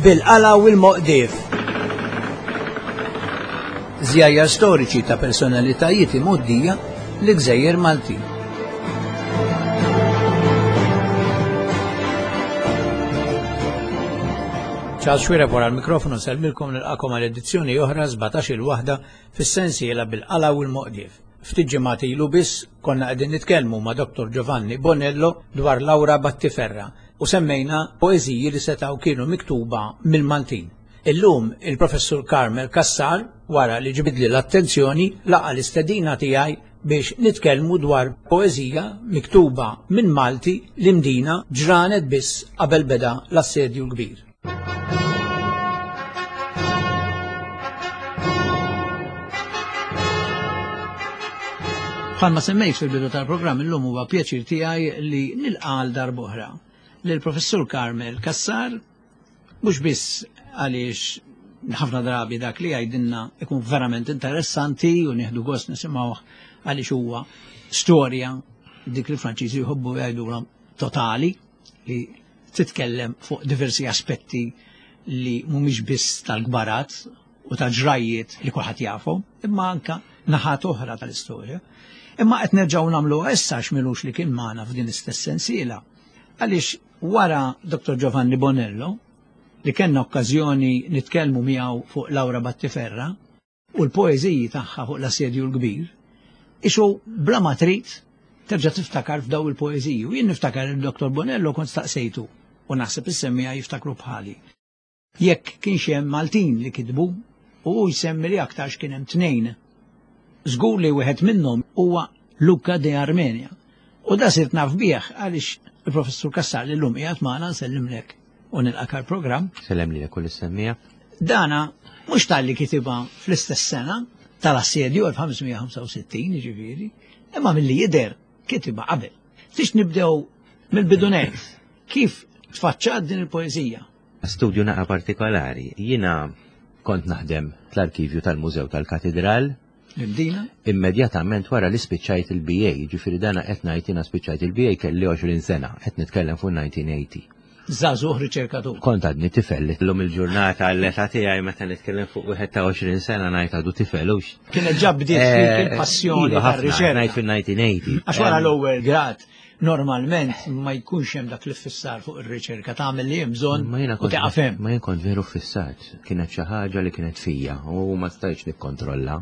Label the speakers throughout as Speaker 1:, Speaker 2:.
Speaker 1: Bil-qala u l-moqdief. Żjajjar storiċi ta' personalitajiet imgħoddija li gżejjer Maltin. Charles Xuereb wara l-mikrofonu nsellmilkom nilqakom għal edizzjoni oħra 17 il-waħda fis-sensiela bil-qala u l-moqdief. Ftit ġimgħat ilu biss konna qegħdin nitkellmu ma' Dr. Giovanni Bonello dwar Laura Battiferra u semmejna poeżiji li setgħu kienu miktuba mill-Maltin. Illum il-Professur Carmel Cassar wara li ġibidli l-attenzjoni laqa' l-istedina tiegħi biex nitkellmu dwar poeżija miktuba minn Malti l-Imdina ġranet biss qabel beda l-Assedju l-Kbir. Bħalma semmejt fil-bidu tal-programm illum huwa pjaċir tiegħi li nilqa' għal darb'oħra lill-Professur Carmel Cassar mhux biss għaliex ħafna drabi dak li jgħidilna ikun verament interessanti u nieħdu gost nisimgħuh għaliex huwa storja dik li Franċiżi jħobbu jgħidulhom totali li titkellem fuq diversi aspetti li mhumiex biss tal-kbarat u ta' ġrajjiet li kulħadd jafhom, imma anka naħat oħra tal-istorja. Imma qed nerġgħu nagħmluha issa x'milux li kien magħna f'din istess sensiela. Għaliex wara Dr. Giovanni Bonello, li kellna okkażjoni nitkellmu miegħu fuq Laura Battiferra, u l-poeżiji tagħha fuq l-Assedju l-Kbir, isu bla ma trid terġa' tiftakar f'daw il-poeżiji. U jien niftakar il-Dr. Bonello kont staqsejtu u naħseb is-semmiegħa jiftakru bħali. Jekk kienx hemm Maltin li kitbu u hu jsemmi li aktarx kien hemm tnejn. Żgur li wieħed minnhom huwa Luca de Armenia. U da sirt naf bih għaliex il-Professur Cassar li llum qiegħed magħna nsellimlek u nilqak għall-programm.
Speaker 2: Sellem lilek u lis-semmiegħa.
Speaker 1: Dana mhux talli kitibha fl-istess sena tal-assedju 1565 jiġifieri, imma milli jidher kitibha qabel. Tix nibdew mill-bidunet, kif tfaċċat din il-poeżija?
Speaker 2: Studju naqa partikolari. Jiena kont naħdem fl-arkivju tal-Mużew tal-Katidral.
Speaker 1: L-Imdina?
Speaker 2: Immedjatament wara li spiċċajt il-BA, ġifieri dana qed ngħid jiena spiċċajt il-BA kelli 20 sena, qed nitkellem fuq 1980.
Speaker 1: Żagħżugħ riċerkatur.
Speaker 2: Kont għadni tifel, illum il-ġurnata l-età tiegħi meta nitkellem fuq wieħed ta' 20 sena ngħid għadu tifel hux.
Speaker 1: Kienet ġa bdiet fik eh, il-passjoni iva, tar-riċerka.
Speaker 2: Ngħid fil-1980.
Speaker 1: Għax wara l-ewwel grad normalment ma jkunx hemm dak l-iffissar fuq ir-riċerka tagħmel li hemm bżonn u tieqaf hemm.
Speaker 2: Ma jien kont veru ffissat, kienet xi ħaġa li kienet fija u ma stajtx nikkontrolla.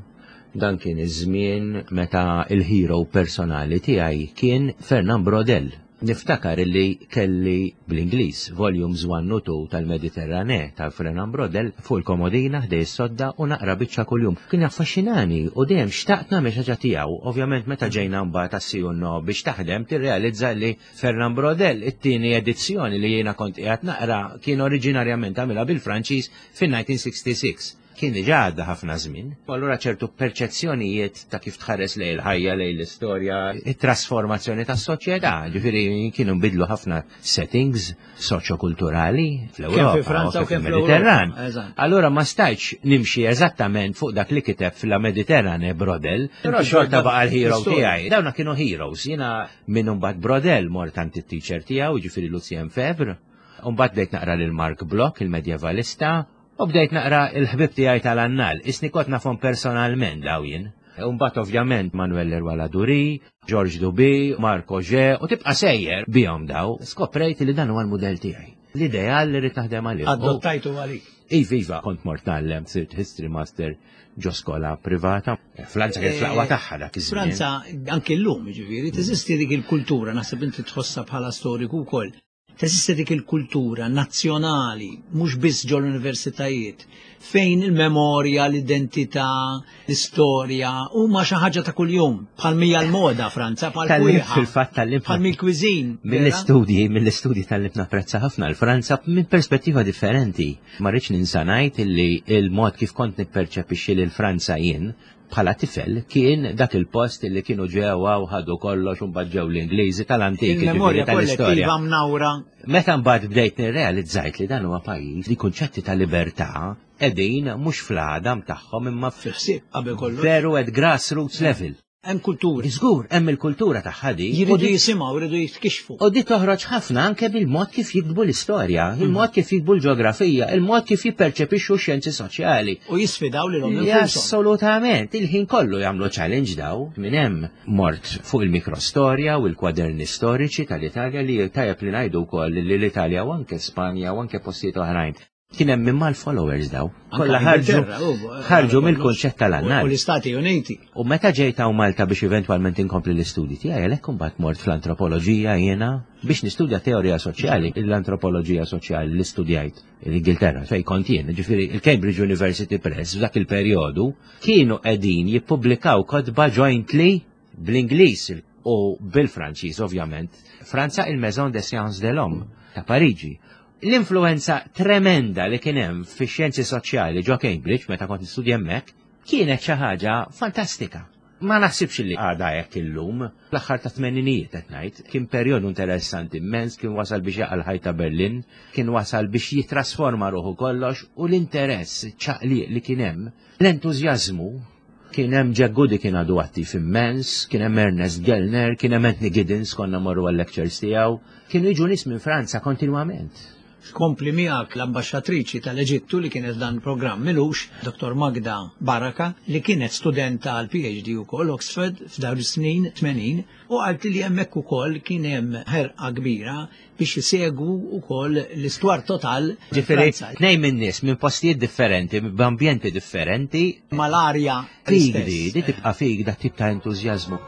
Speaker 2: Dan kien iż-żmien meta il-hero personali tiegħi kien Fernand Brodel. Niftakar illi kelli bl-Ingliż volumes 1 u 2 tal-Mediterranee ta' Fernand Brodel fuq il-komodina ħdej is-sodda u naqra biċċa kuljum. Kien jaffaxxinani u dejjem xtaqt nagħmel xi ħaġa tiegħu. Ovvjament meta ġejna mbagħad għas-si u no biex taħdem tirrealizza li Fernand Brodel it-tieni edizzjoni li jiena kont qiegħed naqra kien oriġinarjament għamilha bil-Franċiż fin-1966. Kien diġà għadda ħafna żmien. U allura ċertu perċezzjonijiet ta' kif tħares lejn il-ħajja, lejn l-istorja, it-trasformazzjoni tas-soċjetà, ġifieri kienu nbidlu ħafna settings soċjokulturali fl-Ewropa u fil-Mediterran. Allura ma stajtx nimxi eżattament fuq dak li kiteb fil Mediterrane Brodel, però xorta baqa' l-hero tiegħi. Dawna kienu heroes, jiena minn imbagħad Brodel mort għand it-teacher tiegħu, ġifieri Lucien Febvre, u mbagħad bdejt naqra lil Marc Bloch, il-medjevalista, U bdejt naqra il-ħbieb tiegħi tal-annal, isni kont nafhom personalment daw jien. U mbagħad ovvjament Manuel Leroy Ladurie, Georges Duby, Marc Augé, u tibqa' sejjer bihom daw, skoprejt li dan huwa l-mudell tiegħi. L-ideal li rrid naħdem għalih.
Speaker 1: Adottajtu għalik.
Speaker 2: Iva, iva, kont mort ngħallem, sirt history master ġo skola privata. Franza kien fl-aqwa tagħha dak iż-żmien.
Speaker 1: Franza anke llum, jiġifieri, teżisti dik il-kultura, naħseb inti tħossha bħala storiku wkoll. Teżisti dik il-kultura nazzjonali, mhux biss ġol-universitajiet, fejn il-memorja, l-identità, l-istorja huma xi ħaġa ta' kuljum, bħal mija l-moda Franza, bħal
Speaker 2: fil-fatt tal
Speaker 1: bħal mill-cuisine.
Speaker 2: Mill-istudji, mill-istudji tal-li napprezza ħafna l-Franza minn perspettiva differenti. Ma rridx ninsa ngħid illi il-mod kif kont nipperċepixxi lil Franza jien bħala tifel kien dak il-post li kienu ġewwa u ħadu kollox u mbagħad ġew l-Ingliżi tal-antik
Speaker 1: Il-memorja kollettiva mnawra.
Speaker 2: Meta mbagħad bdejt nirrealizzajt li dan huwa pajjiż li kunċetti ta' libertà qegħdin mhux fl-għadam tagħhom imma
Speaker 1: fil-ħsieb qabel kollox.
Speaker 2: Veru at grassroots level.
Speaker 1: Hemm kultura.
Speaker 2: Żgur, hemm il-kultura tagħha di.
Speaker 1: Jridu jisimgħu, jridu jitkixxfu.
Speaker 2: U di toħroġ ħafna anke bil-mod kif jiktbu l-istorja, il-mod kif jiktbu l-ġeografija, il-mod kif jipperċepixxu x-xjenzi soċjali.
Speaker 1: U jisfidaw lilhom
Speaker 2: infushom. Assolutament, il-ħin kollu jagħmlu challenge daw. Minn hemm mort fuq il-mikrostorja u l-kwaderni storiċi tal-Italja li tajjeb li ngħidu wkoll li l-Italja u anke Spanja u anke postijiet oħrajn Kien hemm imma l-followers daw. Kollha ħarġu ħarġu mill-kunċett tal-annal.
Speaker 1: U l-Istati Uniti.
Speaker 2: U meta ġejt hawn Malta biex eventwalment inkompli l-istudji tiegħi għalhekk imbagħad mort fl-antropoloġija jiena biex nistudja teorija soċjali, l-antropoloġija soċjali li studjajt l-Ingilterra fejn kont jien, ġifieri il-Cambridge University Press f'dak il-perjodu kienu qegħdin jippubblikaw kotba jointly bl-Ingliż u bil-Franċiż ovvjament. Franza il-Maison des Sciences de l'Homme ta' Pariġi. L-influenza tremenda li kien hemm fix-xjenzi soċjali ġo Cambridge meta kont nistudja hemmhekk kienet xi ħaġa fantastika. Ma naħsibx li għadha hekk illum. L-aħħar ta' tmeninijiet qed ngħid, kien perjodu interessanti immens, kien wasal biex jaqa' l-ħajt ta' Berlin, kien wasal biex jitrasforma ruħu kollox u l-interess, iċ-ċaqliq li kien hemm, l-entużjażmu. Kien hemm Jack Goody kien għadu attiv immens, kien hemm Ernest Gellner, kien hemm Anthony Giddens konna morru għal-lectures tiegħu. Kienu jiġu nies minn Franza kontinwament.
Speaker 1: Tkompli miegħek l-ambaxxatriċi tal-Eġittu li kienet f'dan il-programm m'ilux, Dottor Magda Baraka, li kienet studenta għall-PhD ukoll Oxford f'dawn is-snin 80 u qaltli li hemmhekk ukoll kien hemm ħerqa kbira biex isegwu wkoll l-istwar total.
Speaker 2: Ġifieri tnejn minn nies minn postijiet differenti, b'ambjenti differenti.
Speaker 1: Mal-arja.
Speaker 2: Fik di, di tibqa' fik dat tip ta' entużjażmu.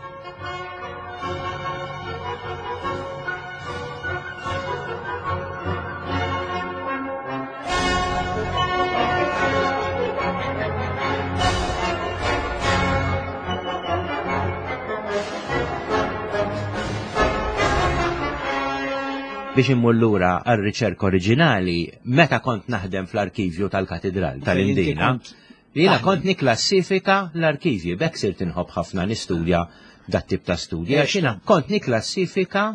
Speaker 2: Biex immur lura għar-riċerka oriġinali, meta kont naħdem fl-arkivju tal-Katidral tal-Imdina, jiena kont niklassifika l-arkivji, b'hekk sirt inħobb ħafna nistudja dat-tip ta' studji, għax jiena kont niklassifika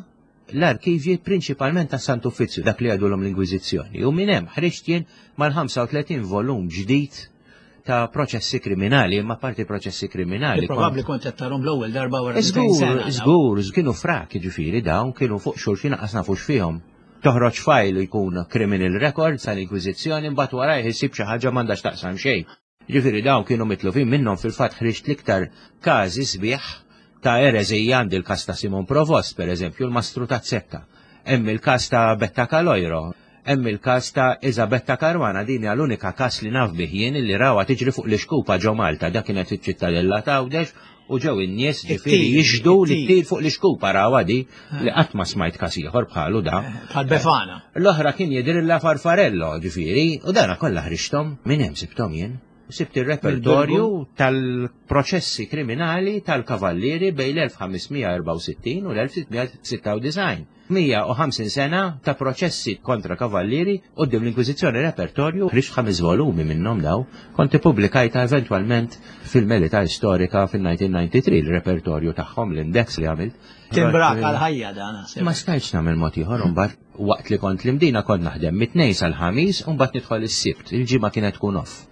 Speaker 2: l-arkivji prinċipalment tas Sant Uffizzju, dak li għadulhom l-Inkwiżizzjoni. U minn hemm ħriġt jien mal-35 volum ġdid ta' proċessi kriminali, imma parti proċessi kriminali.
Speaker 1: Probabbli kont qed tarhom l-ewwel darba wara.
Speaker 2: Żgur, żgur, kienu frak, jiġifieri dawn kienu fuq xulxin qas nafux fihom. Toħroġ fajl jkun criminal record tal-Inkwiżizzjoni mbagħad wara jħissib xi ħaġa m'għandax taqsam xejn. Ġifieri dawn kienu mitlufin minnhom fil-fatt ħriġt l-iktar każi sbieħ ta' ereżija għandi l-każ ta' Simon Provost, pereżempju, l-mastru ta' Zekka. Hemm il-każ ta' Betta Kalojro, Hemm il-każ ta' Isabetta Caruana, din hija l-unika każ li naf bih jien illi rawha tiġri fuq l-ixkupa ġo Malta, dak kienet fiċ-Ċittadella t'Għawdex u ġew in-nies ġifieri jixhdu li ttir fuq l-ixkupa rawha di li qatt ma smajt każ ieħor bħalu da.
Speaker 1: Bħal Befana.
Speaker 2: L-oħra kien jidhrilha Farfarello ġifieri u dana kollha ħriġthom minn hemm sibthom jien. Sibt ir-repertorju tal-proċessi kriminali tal-kavallieri bejn l-1564 u l-1696. 150 sena ta' proċessi kontra kavallieri quddiem l-Inkwiżizzjoni repertorju ħriġt ħames volumi minnhom daw, kont ippubblikajtha eventwalment fil-Melita Storika fil-1993 l-repertorju tagħhom l-index li għamilt.
Speaker 1: Timbrak għal-ħajja dan.
Speaker 2: Ma stajtx nagħmel mod ieħor imbagħad waqt li kont l-Imdina kont naħdem mit-tnejn sal-ħamis u mbagħad nidħol is-Sibt, il-ġimgħa kienet tkun off.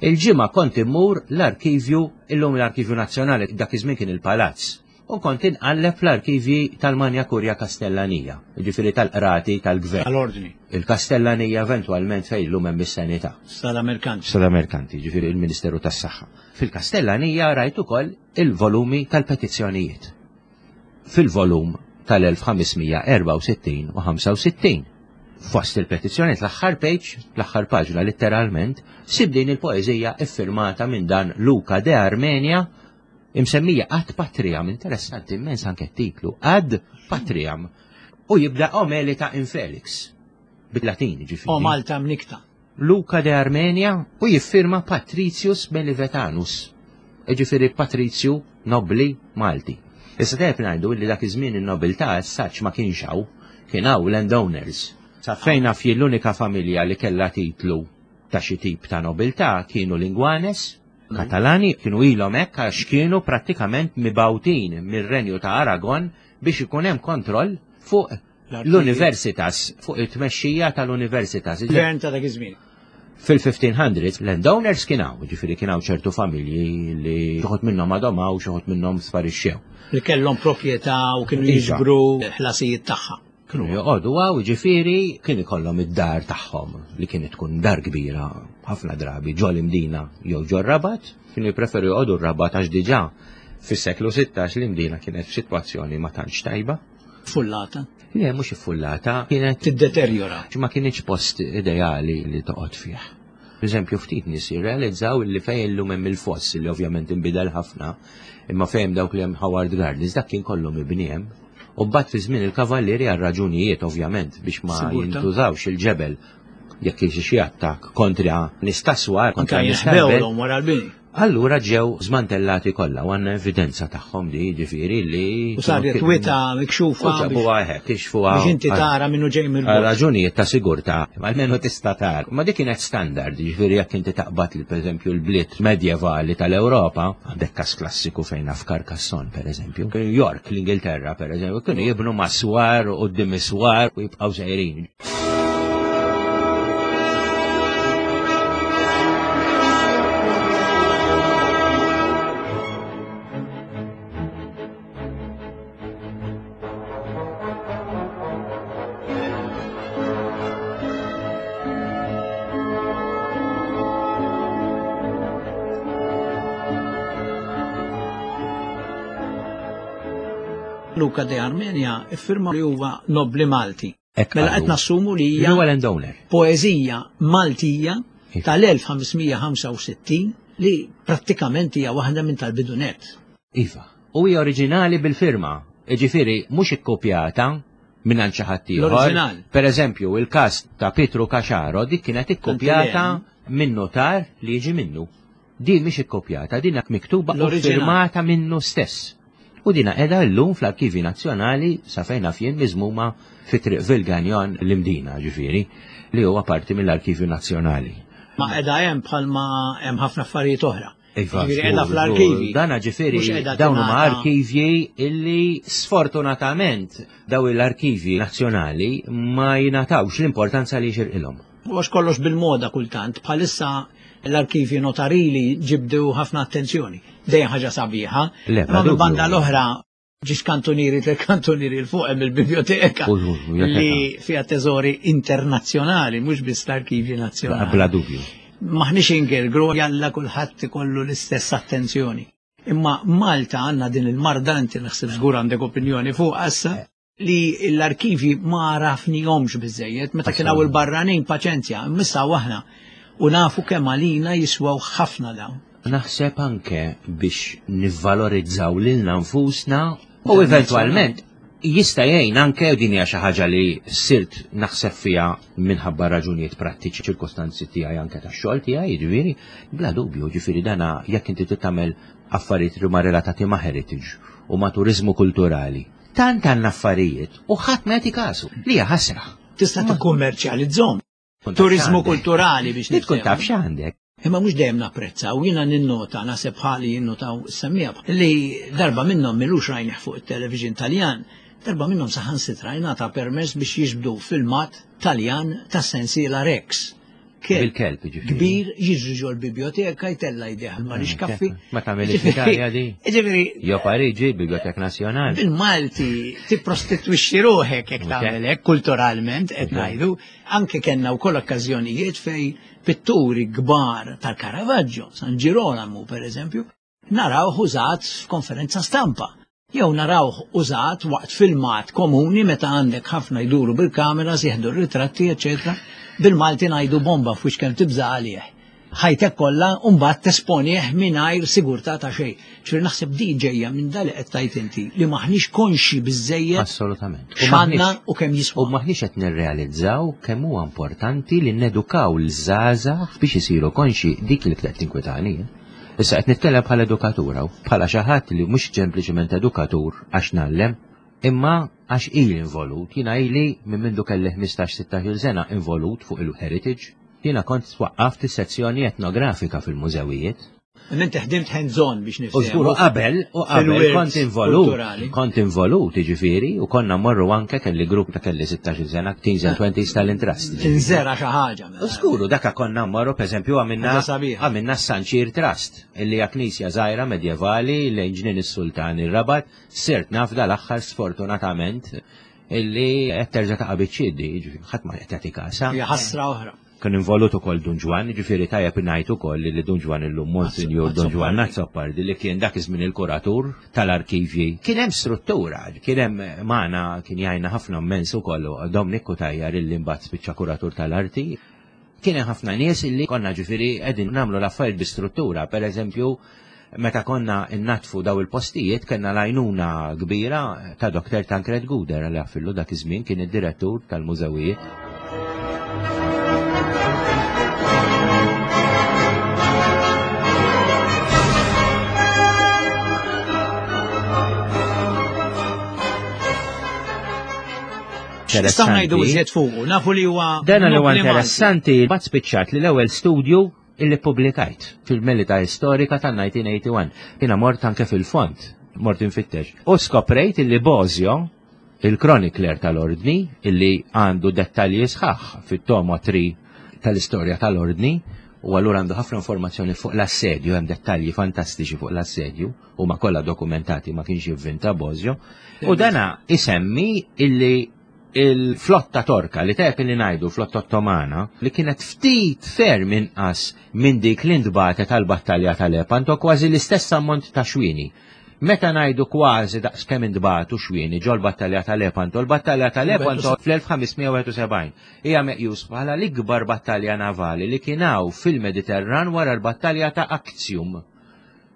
Speaker 2: Il-ġimgħa kont immur l-arkivju, illum l-Arkivju Nazzjonali dak iż-żmien kien il-Palazz u kont inqalleb fl-arkivji tal-Magna Curia Kastellanija, jiġifieri tal-qrati tal-gvern.
Speaker 1: Tal-ordni.
Speaker 2: Il-Kastellanija eventwalment fejn illum hemm is-Sanità.
Speaker 1: Strada Merkanti.
Speaker 2: Strada Merkanti, jiġifieri il-Ministeru tas-Saħħa. Fil-Kastellanija rajt ukoll il-volumi tal-petizzjonijiet. Fil-volum tal-1564 u 65. Fost il-petizzjonijiet l-aħħar page, l-aħħar paġna litteralment, sib din il-poeżija iffirmata minn dan Luca de Armenia imsemmija Ad Patriam, interessanti immens anke t-titlu, Ad Patriam, u jibda O Melita Infelix, bil-Latin ġifieri.
Speaker 1: O Malta mnikta.
Speaker 2: Luca de Armenia u jiffirma Patricius Belivetanus, ġifieri Patrizju Nobli Malti. Issa tajjeb ngħidu li dak iż-żmien in-nobiltà as such ma kienx hawn, kien hawn landowners. Sa fejn naf jien l-unika familja li kellha titlu ta' xi tip ta' nobiltà kienu l-Ingwanes, Katalani kienu ilhom hekk għax kienu prattikament mibgħutin mir-Renju ta' Aragon biex ikun hemm kontroll fuq l-universitas, fuq it-tmexxija tal-universitas.
Speaker 1: Gvern ta' dak iż-żmien.
Speaker 2: Fil-1500s landowners kien hawn, ġifieri kien hawn ċertu familji li xi wħud minnhom għadhom hawn, xi wħud minnhom sparixxew.
Speaker 1: Li kellhom proprjetà u kienu
Speaker 2: Iva.
Speaker 1: jiġbru ħlasijiet tagħha.
Speaker 2: Kienu joqogħdu hawn, ġifieri kien ikollhom id-dar tagħhom li kienet tkun dar kbira ħafna drabi ġol Imdina jew ġol Rabat, kienu jippreferu joqogħdu r-Rabat għax diġà fis-seklu 16 l-Imdina kienet f'sitwazzjoni ma tantx tajba.
Speaker 1: Fullata.
Speaker 2: Le, mhux iffullata, kienet
Speaker 1: Tiddeterjora.
Speaker 2: ma kienx post ideali li toqgħod fih. Per eżempju, ftit nies jirrealizzaw li fejn illum hemm il-foss li ovvjament inbidel ħafna, imma fejn dawk li hemm Howard Gardens dak kien kollu mibni hemm. U mbagħad fi żmien il-kavallieri għal raġunijiet ovvjament biex ma
Speaker 1: Sigurtà.
Speaker 2: jintużawx il-ġebel jekk jiġi xi attakk kontra nies ta' swar,
Speaker 1: Anka
Speaker 2: kontra nies tal-belt.
Speaker 1: jinħbewlhom wara l-bini.
Speaker 2: Allura ġew żmantellati kollha u għandna evidenza tagħhom di ġifieri li
Speaker 1: U saret wita mikxufa
Speaker 2: U ġabuha hekk, kixfuha.
Speaker 1: biex inti tara minnu ġej mill
Speaker 2: Għal raġunijiet ta' sigurtà, almenu tista' tara. Ma dik kienet standard, ġifieri jekk inti taqbad li pereżempju l-bliet medjevali tal-Ewropa, għandek każ klassiku fejn naf Carcassonne pereżempju, York, l-Ingilterra pereżempju, kienu jibnu ma' swar u quddiem is-swar u jibqgħu sejrin.
Speaker 1: Luca de Armenia iffirma li huwa nobli Malti.
Speaker 2: Hekk
Speaker 1: Mela
Speaker 2: qalu.
Speaker 1: qed nassumu li hija
Speaker 2: Huwa landowner.
Speaker 1: poeżija Maltija
Speaker 2: Iva.
Speaker 1: tal-1565 li prattikament hija waħda minn tal-bidunet.
Speaker 2: Iva. U hija oriġinali bil-firma. Ġifieri mhux ikkopjata minn għand xi ħadd ieħor.
Speaker 1: L-oriġinal.
Speaker 2: Per eżempju, il-każ ta' Pietru Caxaro dik kienet ikkopjata minn notar li jiġi minnu. Din mhix ikkopjata, din miktuba u
Speaker 1: L-oriġinal.
Speaker 2: firmata minnu stess. U dina qiegħda llum fl-Arkivi Nazzjonali sa fejn naf jien miżmuma fi Triq Vilganjon l-Imdina, ġifieri, li huwa parti mill-Arkivju Nazzjonali.
Speaker 1: Ma qiegħda hemm bħalma hemm ħafna affarijiet oħra.
Speaker 2: Iva,
Speaker 1: Ġifieri qiegħda
Speaker 2: żgur,
Speaker 1: fl-arkivi.
Speaker 2: Dana ġifieri
Speaker 1: Mhux qiegħda
Speaker 2: dawn huma
Speaker 1: tingħata-
Speaker 2: arkivji illi sfortunatament daw l-arkivji nazzjonali ma jingħatawx l-importanza li jxirqilhom.
Speaker 1: U għax kollox bil-moda kultant, bħalissa l-arkivi notarili ġibdew ħafna attenzjoni. Dejjem ħaġa sabiħa.
Speaker 2: Le,
Speaker 1: Ma
Speaker 2: bla
Speaker 1: minn banda
Speaker 2: dubju.
Speaker 1: l-oħra ġiex kantunieri tre kantunieri l fuq hemm il-biblioteka
Speaker 2: U- u- u-
Speaker 1: li fiha teżori internazzjonali, mhux biss l-arkivi nazzjonali.
Speaker 2: Bla dubju.
Speaker 1: Maħniex ingergru jalla kulħadd ikollu l-istess attenzjoni. Imma Malta għandna din il-marda inti naħseb żgur għandek opinjoni fuq issa li l-arkivi ma rafnihomx biżejjed meta kien hawn il-barranin paċenzja, imma aħna u nafu kemm għalina jiswew ħafna dawn.
Speaker 2: Naħseb anke biex nivvalorizzaw lilna nfusna u eventwalment jista' jgħin anke u din hija xi ħaġa li sirt naħseb fiha minħabba raġunijiet prattiċi ċirkostanzi tiegħi anke tax-xogħol tiegħi, jiġifieri, bla dubju, jiġifieri dana jekk inti trid tagħmel affarijiet li huma relatati ma' heritage u ma' turiżmu kulturali. Tant għandna affarijiet u ħadd ma jagħti kasu li hija ħasra.
Speaker 1: Tista' tikkummerċjalizzhom.
Speaker 2: Tkun taf
Speaker 1: Turizmu
Speaker 2: x'għandek.
Speaker 1: kulturali biex
Speaker 2: Li tkun
Speaker 1: niftehmu.
Speaker 2: taf x'għandek.
Speaker 1: Imma mhux dejjem napprezzaw, jiena ninnota naħseb bħali jinnotaw semmija li darba minnhom milux rajnih fuq it-television Taljan, darba minnhom saħansitra jingħata permess biex jiġbdu filmat Taljan ta' sensiela Rex. Kelb
Speaker 2: Bil-kelb, jiġifieri.
Speaker 1: Kbir jiġri ġol biblioteka jtella jdejh ma kaffi.
Speaker 2: Ma tagħmilx fl-Italja di?
Speaker 1: Ġifieri
Speaker 2: Jo Pariġi, Bibliotek Nazzjonali.
Speaker 1: bil-Malti tipprostitwixxi ruħek jekk tagħmel hekk kulturalment qed ngħidu, anke kellna wkoll okkażjonijiet fej pitturi kbar tal-Caravaggio, San Girolamo per eżempju, narawh użat f'konferenza stampa. Jew narawh użat waqt filmat komuni meta għandek ħafna jduru bil-kameras, jieħdu r-ritratti, eċetera. Bil-Malti ngħidu bomba f'wiex kemm tibża' għalih. Ħajtek kollha u mbagħad tesponih mingħajr sigurtà ta' xejn. Ġifieri naħseb di ġejja minn dal li qed tgħid inti li maħniex konxi biżejjed
Speaker 2: Assolutament. U
Speaker 1: x'għandna
Speaker 2: maħniex-
Speaker 1: u kemm
Speaker 2: U
Speaker 1: jiswa.
Speaker 2: maħniex qed nirrealizzaw kemm huwa importanti li nedukaw l-żgħażagħ biex isiru konxi dik li qed tinkwitani. Issa qed nitkellem bħala edukatur hawn, bħala xi ħadd li mhux sempliċement edukatur għax nallem, imma għax ili involut, jiena ili minn mindu kelli 15-16 sena involut fuq il-heritage, jiena kont twaqqaft is-sezzjoni etnografika fil-mużewijiet.
Speaker 1: Inti ħdimt hands-on biex
Speaker 2: nifhem. U żgur qabel, u qabel kont involut. Kont involut, jiġifieri, u konna morru anke kelli grupp ta' kelli 16 sena, teens and 20s tal-Intrust.
Speaker 1: Tinżera xi ħaġa.
Speaker 2: Mela. U żgur, daka konna morru, pereżempju, għamilna għamilna Sanċir Trust, illi hija knisja żgħira medjevali lejn ġnien is-Sultan ir-Rabat, sirt naf dal-aħħar sfortunatament illi qed terġa' taqa' biċ-ċiedi, jiġifieri ħadd ma qed jagħti kasha.
Speaker 1: Hija ħasra oħra.
Speaker 2: Kien involut ukoll Dun Ġwann, jiġifieri tajjeb ngħid ukoll li Dun Ġwann illum Monsinjur Dun Ġwann Azzopardi li kien dak iż-żmien il-kuratur tal-arkivji. Kien hemm struttura, kien hemm magħna kien jgħinna ħafna mmens ukoll Dominic Cutajar illi mbagħad spiċċa kuratur tal-arti. Kien hemm ħafna nies illi konna ġifieri qegħdin nagħmlu l-affarijiet bi struttura, pereżempju meta konna nnaddfu daw il-postijiet kellna l-għajnuna kbira ta' Dr. Tancred Guder li għaffillu dak iż-żmien kien id-direttur tal-mużewijiet.
Speaker 1: Nistgħu ngħidu iżjed fuqu, nafu li huwa.
Speaker 2: Dan li huwa interessanti, bat spiċċat li l-ewwel studju illi ppubblikajt fil-Melita Istorika tan-1981. Jiena mort anke fil-fond, mort infittex. U skoprejt illi Bosio, il-chronicler tal-Ordni, illi għandu dettalji sħaħ fit-tomo 3 tal-istorja tal-Ordni, u allura għandu ħafna informazzjoni fuq l-assedju, hemm dettalji fantastiċi fuq l-assedju, huma kollha dokumentati ma kienx jivvinta Bosio. U dana isemmi illi il-flotta Torka li tajjeb li ngħidu flotta Ottomana li kienet ftit ferm inqas minn dik li ntbagħtet għall-battalja ta' Lepanto kważi l-istess ammont ta' xwieni. Meta ngħidu kważi daqs kemm intbagħtu xwieni ġol-battalja ta' Lepanto, l-battalja ta' Lepanto fl-1571 hija meqjus bħala l-ikbar battalja navali li kien hawn fil-Mediterran wara l-battalja ta' Actium.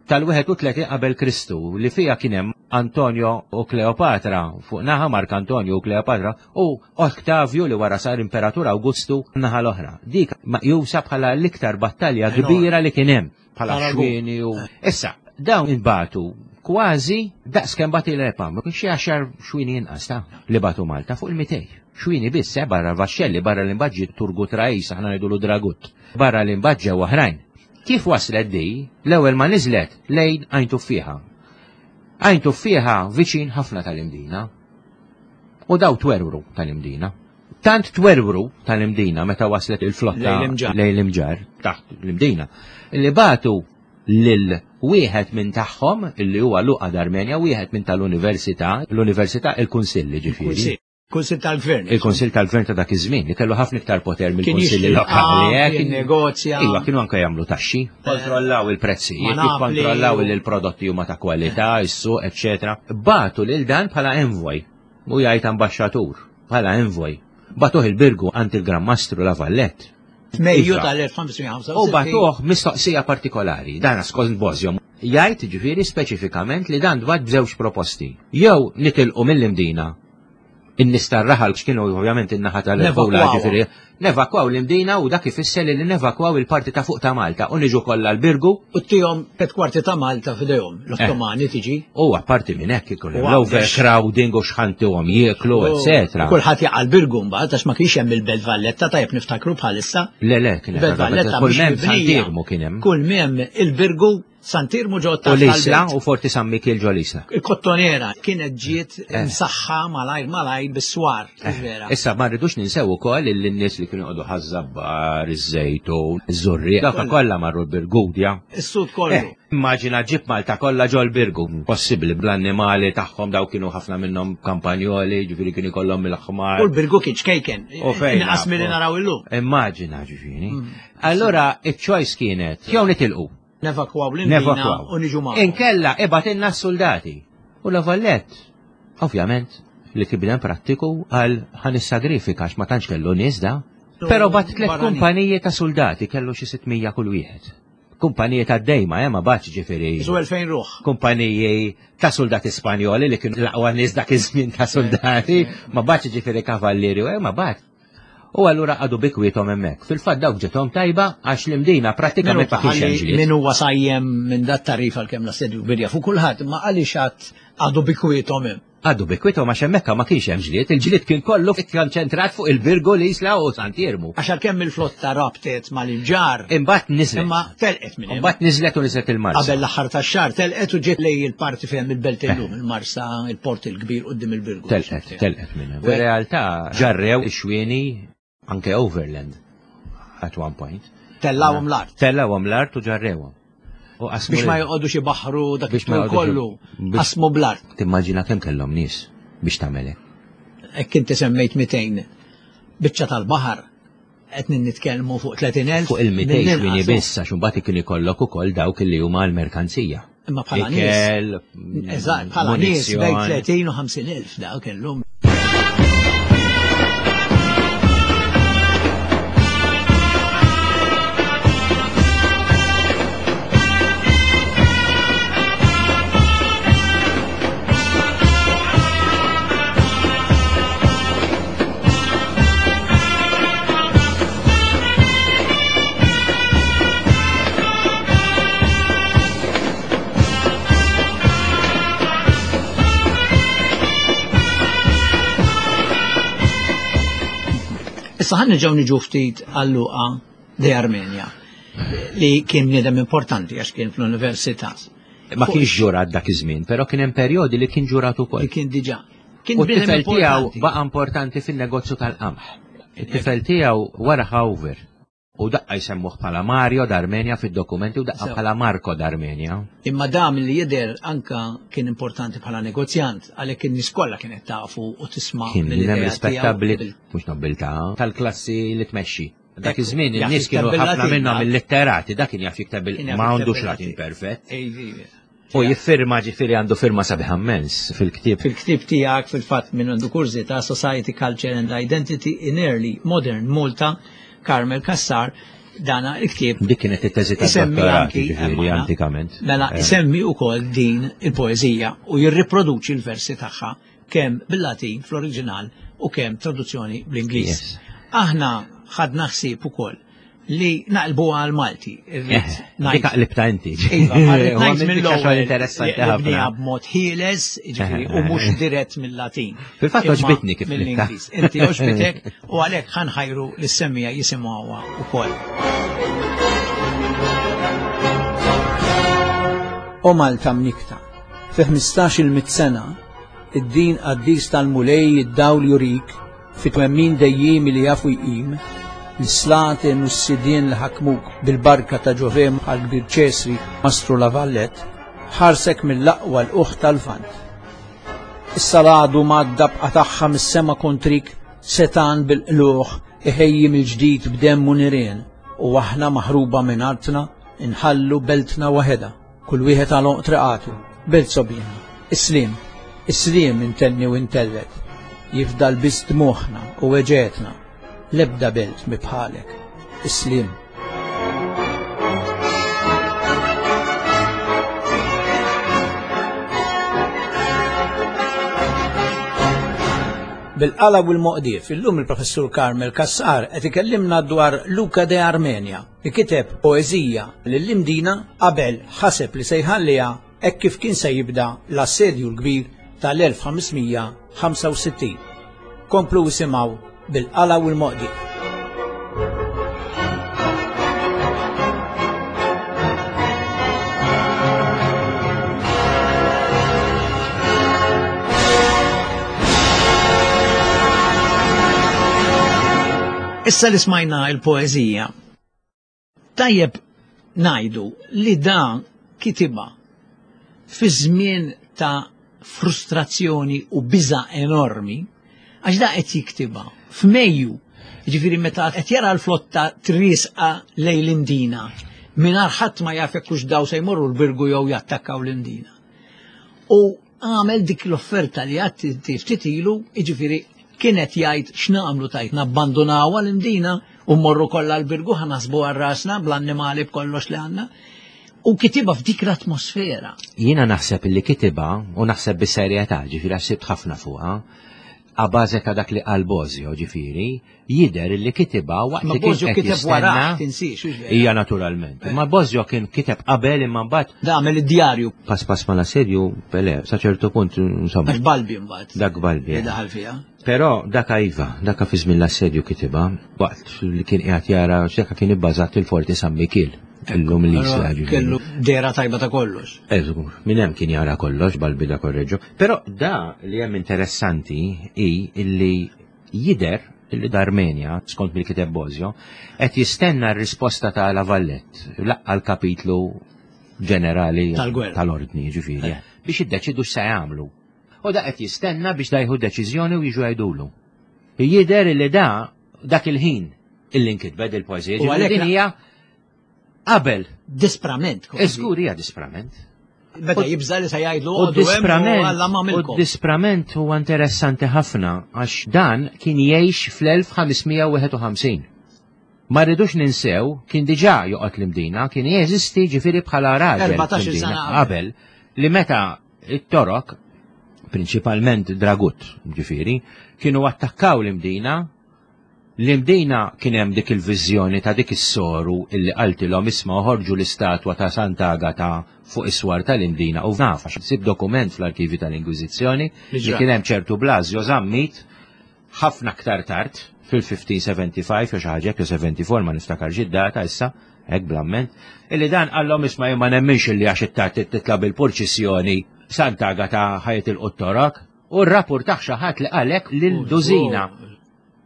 Speaker 2: tal-31 qabel Kristu li fiha kien hemm Antonio u Kleopatra fuq naħa Mark Antonio u Kleopatra u Oktavju li wara sar Imperatur Awgustu naħa l-oħra. Dik meqjusa bħala l-iktar battalja kbira li kien hemm bħala xwieni u. Issa, dawn inbagħtu kważi daqs kemm bagħti l-EPAM, xi għaxar xwieni inqas ta' li bagħtu Malta fuq il-200. Xwieni biss, eh, barra l-vaxxelli, barra l-imbaġġi Turgut Rais, aħna ngħidulu Dragut, barra l-imbaġġa u oħrajn. Kif waslet di, l-ewwel ma niżlet lejn Għajn Tuffieħa. Għajn Tuffieħa viċin ħafna tal-Imdina. U daw twerwru tal-Imdina. Tant twerwru tal-Imdina meta waslet il-flotta lejn l-Imġarr, taħt l-Imdina, li bagħtu lil wieħed minn tagħhom illi huwa Luqa d'Armenja, wieħed minn tal-Università, l-Università il-Kunsill ġifieri.
Speaker 1: Kunsill tal-Gvern.
Speaker 2: Il-Kunsill tal-Gvern ta' dak iż-żmien li kellu ħafna iktar poter mill-Kunsilli lokali.
Speaker 1: Eh, kien negozja.
Speaker 2: Iva, kienu anke jagħmlu taxxi, eh, kontrollaw il-prezzijiet, jikkontrollaw li l-prodotti huma ta' kwalità, is-suq, eċċetera. Batu lil dan bħala envoy, u jgħid ambaxxatur, bħala envoy. Batuh il-Birgu għand il-Gran Mastru La Vallette.
Speaker 1: Mejju iva. tal-1565.
Speaker 2: U batuh mistoqsija partikolari, dan skont Bozjo. Jgħid ġifieri speċifikament li dan dwar b'żewġ proposti. Jew nitilqu mill-Imdina in-nies tar-raħal x'kienu ovvjament in-naħa tal-Ebola ġifieri nevakwaw l-Imdina u dak ifisser li nevakwaw il-parti ta' fuq ta' Malta u niġu kollha l-Birgu.
Speaker 1: U tihom tliet kwarti ta' Malta f'idejhom, l-Ottomani eh. tiġi.
Speaker 2: U apparti minn hekk ikun hemm l-overcrowding u x'ħantihom jieklu, eċetera.
Speaker 1: Kulħadd jaqa' l-Birgu mbagħad għax ma kienx hemm il-Belt Valletta tajjeb niftakru bħalissa.
Speaker 2: Le le, kien hemm
Speaker 1: Belt Valletta
Speaker 2: kull m'hemm Sant'Iermu kien hemm.
Speaker 1: Kull m'hemm il-Birgu Sant'Irmu ġo
Speaker 2: taħt. U l-Isla u Forti San Mikiel ġo l-Isla.
Speaker 1: Il-Kottonera kienet ġiet eh. msaħħa malajr malajr bis-swar, eh,
Speaker 2: vera. Issa ma rridux ninsew ukoll li n-nies li kienu jqogħdu ħaż-żabbar, iż-żejtun, iż-żurrieq, dawk kollha marru l-Birgudja.
Speaker 1: Is-sud kollu. Eh,
Speaker 2: immaġina ġib Malta kollha ġol Birgu, possibbli bl-annimali tagħhom daw kienu ħafna minnhom kampanjoli, ġifieri kienu jkollhom il-ħmar.
Speaker 1: U l-Birgu kien ċkejken. U fejn. Inqas milli naraw illum.
Speaker 2: Immaġina ġifieri. Mm. Allura iċ-choice kienet jew nitilqu
Speaker 1: Nevakwaw l-Imdina u niġu
Speaker 2: magħhom. Inkella ibgħatilna s-suldati. U La Vallette, ovvjament, li kien bniedem prattiku għal ħa nissagrifika għax ma tantx kellu nies da. Però bat tliet kumpaniji ta' suldati kellu xi 600 kull wieħed. Kumpaniji ta' dejma, eh, ma batx ġifieri.
Speaker 1: Isu 2000 ruħ.
Speaker 2: Kumpaniji ta' soldati Spanjoli li kienu l-aqwa nies dak iż-żmien ta' soldati, ma batx ġifieri kavallieri, eh, ma bat. U allura qagħdu bi kwiethom hemmhekk. Fil-fatt dawk ġiethom tajba għax l-Imdina prattikament ma kienx hemm ġlied.
Speaker 1: Min huwa sajjem minn dat tarif għalkemm l-assedju kbir jafu kulħadd, imma għaliex għad qagħdu bi kwiethom hemm?
Speaker 2: Għaddu bi kwiethom għax hemmhekk ma kienx hemm ġlied, il-ġlied kien kollu ikkonċentrat fuq il-Birgu, l-Isla u Sant'Iermu.
Speaker 1: Għax għalkemm il-flotta rabtet mal-Imġarr.
Speaker 2: Imbagħad niżlet.
Speaker 1: Imma telqet minn hemm.
Speaker 2: Imbagħad niżlet u niżlet il-Marsa.
Speaker 1: Qabel l-aħħar tax-xahar telqet u ġiet lejn il-parti fejn il-belt illum, il-Marsa, il-port il-kbir quddiem il-Birgu.
Speaker 2: Telqet, telqet minn hemm. Fir-realtà ġarrew ix-xwieni anke overland at one point.
Speaker 1: Tellawhom l-art.
Speaker 2: Tellawhom l-art u ġarrewhom.
Speaker 1: U qasmu Biex ma joqogħdux ibaħħru dak Biex ma it-tul joqogħdux- kollu, biex- qasmu bl-art.
Speaker 2: Timmaġina kemm kellhom nies biex tagħmel hekk.
Speaker 1: Hekk inti semmejt 200 biċċa tal-baħar qed nitkellmu fuq 30,000.
Speaker 2: Fuq il-200 mill-inqas, xwieni biss għax imbagħad kien ikollok ukoll dawk li huma l-merkanzija.
Speaker 1: Imma bħala nies. Ikel, Eżatt, bħala nies bejn 30 u 50,000 dak kellhom. Issa ħan nerġgħu niġu ftit għal Luqa de Armenia li kien bniedem importanti għax kien fl-università.
Speaker 2: Ma kienx ġurat dak iż-żmien, però kien hemm perjodi li kien ġurat ukoll.
Speaker 1: Li kien diġà.
Speaker 2: Kien U t-tifel tiegħu baqa' importanti fin-negozju tal-qamħ. It-tifel tiegħu wara Hauver. U daqqa jsemmuh bħala Mario d'Armenia fid-dokumenti u daqqa bħala Marco d'Armenia.
Speaker 1: Imma da milli jidher anka kien importanti bħala negozjant, għalhekk in-nies kollha kienet tafu u tisma'
Speaker 2: Kien bniedem rispettabbli, mhux nobbiltà, tal-klassi li tmexxi. Dak iż-żmien in-nies kienu ħafna minnhom illitterati, dak kien jaf jikteb ma għandux Latin perfett. U jiffirma ġifieri għandu firma sabiħa mmens fil-ktieb.
Speaker 1: Fil-ktieb tiegħek fil-fatt minn għandu kurżità Society, Culture and Identity in Early Modern Malta, Carmel Cassar, dana il-ktieb.
Speaker 2: Dik kienet it-teżi tad-dottorat, ġifieri antikament.
Speaker 1: Mela isemmi wkoll din il-poeżija u jirriproduċi l-versi tagħha kemm bil-Latin fl-oriġinal u kemm traduzzjoni bl-Ingliż. Aħna ħadna ħsieb ukoll li naqlbu għal Malti.
Speaker 2: Eh, dik qlibta inti.
Speaker 1: Iva, ngħid mill-ewwel interessanti ħafna. B'mod ħieles, jiġifieri, u mhux dirett mill-Latin.
Speaker 2: Fil-fatt oġbitni kif
Speaker 1: mill-Ingliż. Inti oġbitek u għalhekk ħanħajru lis-semmija jisimgħuha wkoll. O Malta mnikta, fi 15-il mitt sena, id-din qaddis tal-Mulej id-dawl jurik Fi twemmin dejjiemi li jafu jqim, lis-slaten u s-sidien li ħakmuk bil-barka ta' Ġovè bħall-kbir Ċesri Mastru La Vallette, ħarsek mill-aqwa lqugħ tal-Lvant. Issa l-għadu mgħaddab qatagħha mis-sema kontrik setgħan bil-qlugħ iħejji mill-ġdid b'demm u nirien u aħna maħruba minn artna nħallu beltna waħedha. Kull wieħed għal għonq triqatu, belt sogħbiena. Is-sliem, is-sliem intenni u intellet. Jifdal biss dmugħna u weġgħetna. L-ebda belt mhi bħalek. Is-sliem. Bil-qala u l-moqdief, illum il-Professur Carmel Cassar qed ikellimna dwar Luca de Armenia. li kiteb poeżija lill-Imdina qabel ħaseb li se jħalliha hekk kif kien se jibda l-Assedju l-Kbir tal-1565. Komplu isimgħu bil-qala u l-moqdi. Issa li smajna il-poeżija, tajjeb ngħidu li dan kitibha fi żmien ta' frustrazzjoni u biża' enormi, għax da qed jiktibha f'Mejju, jiġifieri meta qed jara l-flotta triesqa lejn l-Imdina, mingħajr ħadd ma jaf jekk hux daw se jmorru l-Birgu jew jattakkaw l-Imdina. U għamel dik l-offerta li għadt inti ftit ilu, jiġifieri kien qed jgħid x'nagħmlu tajt nabbandunawha l-Imdina u mmorru kollha l-Birgu ħa naħsbu għal rasna bl-annimali b'kollox li għandna. U kitibha f'dik l-atmosfera.
Speaker 2: Jiena naħseb li kitibha u naħseb bis-serjetà, ġifieri għax sibt ħafna fuqha. A bażi ta' dak li qal Bosio, ġifieri, jidher li kitibha waqt li kien
Speaker 1: qed kiteb wara, tinsiex.
Speaker 2: Hija naturalment. Eh. Ma Bosio kien kiteb qabel imma mbagħad.
Speaker 1: Da għamel id-djarju.
Speaker 2: Pass pass ma l-assedju, pele, sa ċertu punt insomma.
Speaker 1: Għax Balbi mbagħad.
Speaker 2: Dak Balbi.
Speaker 1: Li daħal fiha.
Speaker 2: Però dak iva, dak fi żmien l-assedju kitibha waqt li kien qiegħed jara x'dak kien ibbażat il-Forti San Mikiel. Illum li
Speaker 1: jisla Kellu dera tajba ta' kollox.
Speaker 2: Eżgur, minn hemm kien jara kollox Balbi da korreġġu. Però da li hemm interessanti hi illi jidher illi d'Armenja, skont mill-kiteb Bosio, qed jistenna r-risposta ta' La Vallette, laqqa l-kapitlu ġenerali tal-ordni, ġifieri, eh. biex iddeċidu x'se jagħmlu. U da qed jistenna biex da jieħu deċiżjoni u jiġu jgħidulu. Jidher li da dak il-ħin illi nkitbed il-poeżija. U għalhekk din hija qabel.
Speaker 1: Disprament.
Speaker 2: Iżgur hija disprament.
Speaker 1: Beda jibża li se jgħidlu u disprament.
Speaker 2: U disprament huwa interessanti ħafna għax dan kien jgħix fl-1551. Ma rridux ninsew kien diġà joqgħod l-Imdina, kien jeżisti ġifieri bħala raġel.
Speaker 1: 14 sena
Speaker 2: qabel li meta it-Torok, prinċipalment Dragut, ġifieri, kienu attakkaw l-Imdina L-Imdina kien hemm dik il-viżjoni ta' dik is-soru illi qaltilhom isma' oħorġu l-istatwa ta' Sant'Agata fuq is-swar tal-Imdina u naf għax nsib dokument fl-arkivi tal-Inkwiżizzjoni li kien hemm ċertu Blasio Zammit ħafna aktar tard fil-1575 jew xi ħaġa hekk jew 74 ma niftakarx id-data issa hekk bl-amment illi dan qallhom isma' jien ma nemminx illi għax it-tard titla' bil-purċissjoni Sant'Agata ħa jitilqu t-torok. U rrappurtah xi ħadd li qal hekk lil dużina.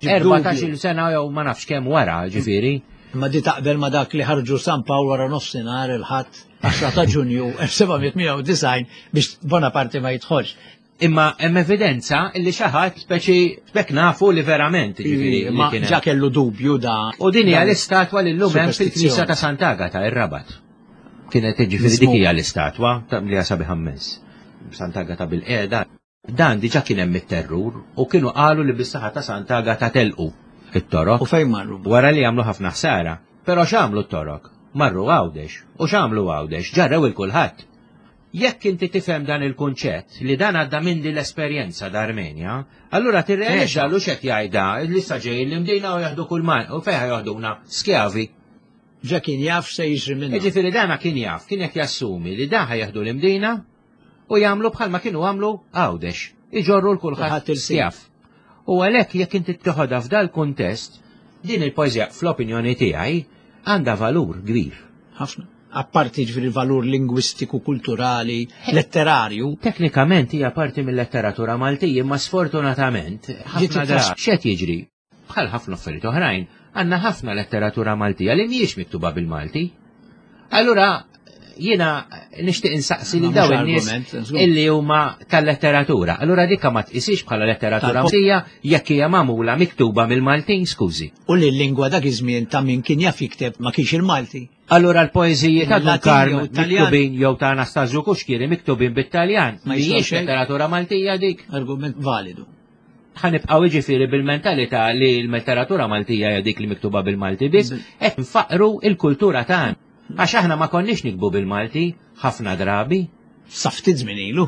Speaker 2: 14-il sena jew ma nafx kemm wara, ġifieri.
Speaker 1: Imma di taqbel ma dak li ħarġu San Pawl wara nofsinhar il-Ħadd 10 ta' Ġunju 1798 biex Bonaparte ma jidħolx.
Speaker 2: Imma hemm evidenza li xi ħadd speċi bekk nafu li verament ġifieri.
Speaker 1: Ma ġa kellu dubju da.
Speaker 2: U din hija l-istatwa li llum hemm fil-Knisja ta' Sant'Agata, ir-Rabat. Kienet ġifieri dik hija l-istatwa li hija sabiħa immens. Sant'Agata bil-qiegħda. Dan diġà kien hemm it-terrur u kienu qalu li bis-saħħa ta' Sant'Agata telqu it-Torok.
Speaker 1: U fejn marru?
Speaker 2: Wara li għamlu ħafna ħsara. Però x'għamlu t-Torok? Marru Għawdex. U x'għamlu Għawdex? Ġarrew il kulħadd. Jekk inti tifhem dan il-kunċett li dan għadda minn din l-esperjenza d'Armenja, allura tirrealizza lu x'qed jgħidha li sa ġejjin l-Imdina u jaħdu kull ma u fejn jaħduna skjavi.
Speaker 1: Ġa kien jaf x'se jiġri minnu.
Speaker 2: Jiġifieri dana kien jaf, kien qed jassumi li dan ħa jieħdu l-Imdina u jagħmlu bħalma kienu għamlu Għawdex, iġorru l kulħadd skjav. U għalhekk jekk inti toħodha f'dal-kuntest, din il-poeżija fl-opinjoni tiegħi għandha valur kbir.
Speaker 1: Ħafna. Apparti ġifieri valur lingwistiku, kulturali, letterarju.
Speaker 2: Teknikament hija parti mill-letteratura Maltija, imma sfortunatament ħafna drabi x'qed jiġri? Bħal ħafna affarijiet oħrajn, għandna ħafna letteratura Maltija li mhijiex miktuba bil-Malti. Allura jiena nixtieq insaqsi lil dawn in-nies illi huma tal-letteratura. Allura dikka ma tqisix bħala letteratura Maltija jekk hija magħmula miktuba mill-Maltin, skużi.
Speaker 1: U li l-lingwa dak iż-żmien ta' min kien jaf jikteb ma kienx il-Malti.
Speaker 2: Allura l-poeżiji ta' Dun Karm miktubin jew ta' Anastasju Kuxkieri miktubin bit-Taljan. Mhijiex letteratura Maltija dik.
Speaker 1: Argument validu.
Speaker 2: Ħa nibqgħu jiġifieri bil-mentalità li l-letteratura Maltija hija dik li miktuba bil-Malti biss, qed nfaqru l-kultura tagħna. Għax aħna ma konniex nikbu bil-Malti ħafna drabi.
Speaker 1: Sa ftit żmien ilu.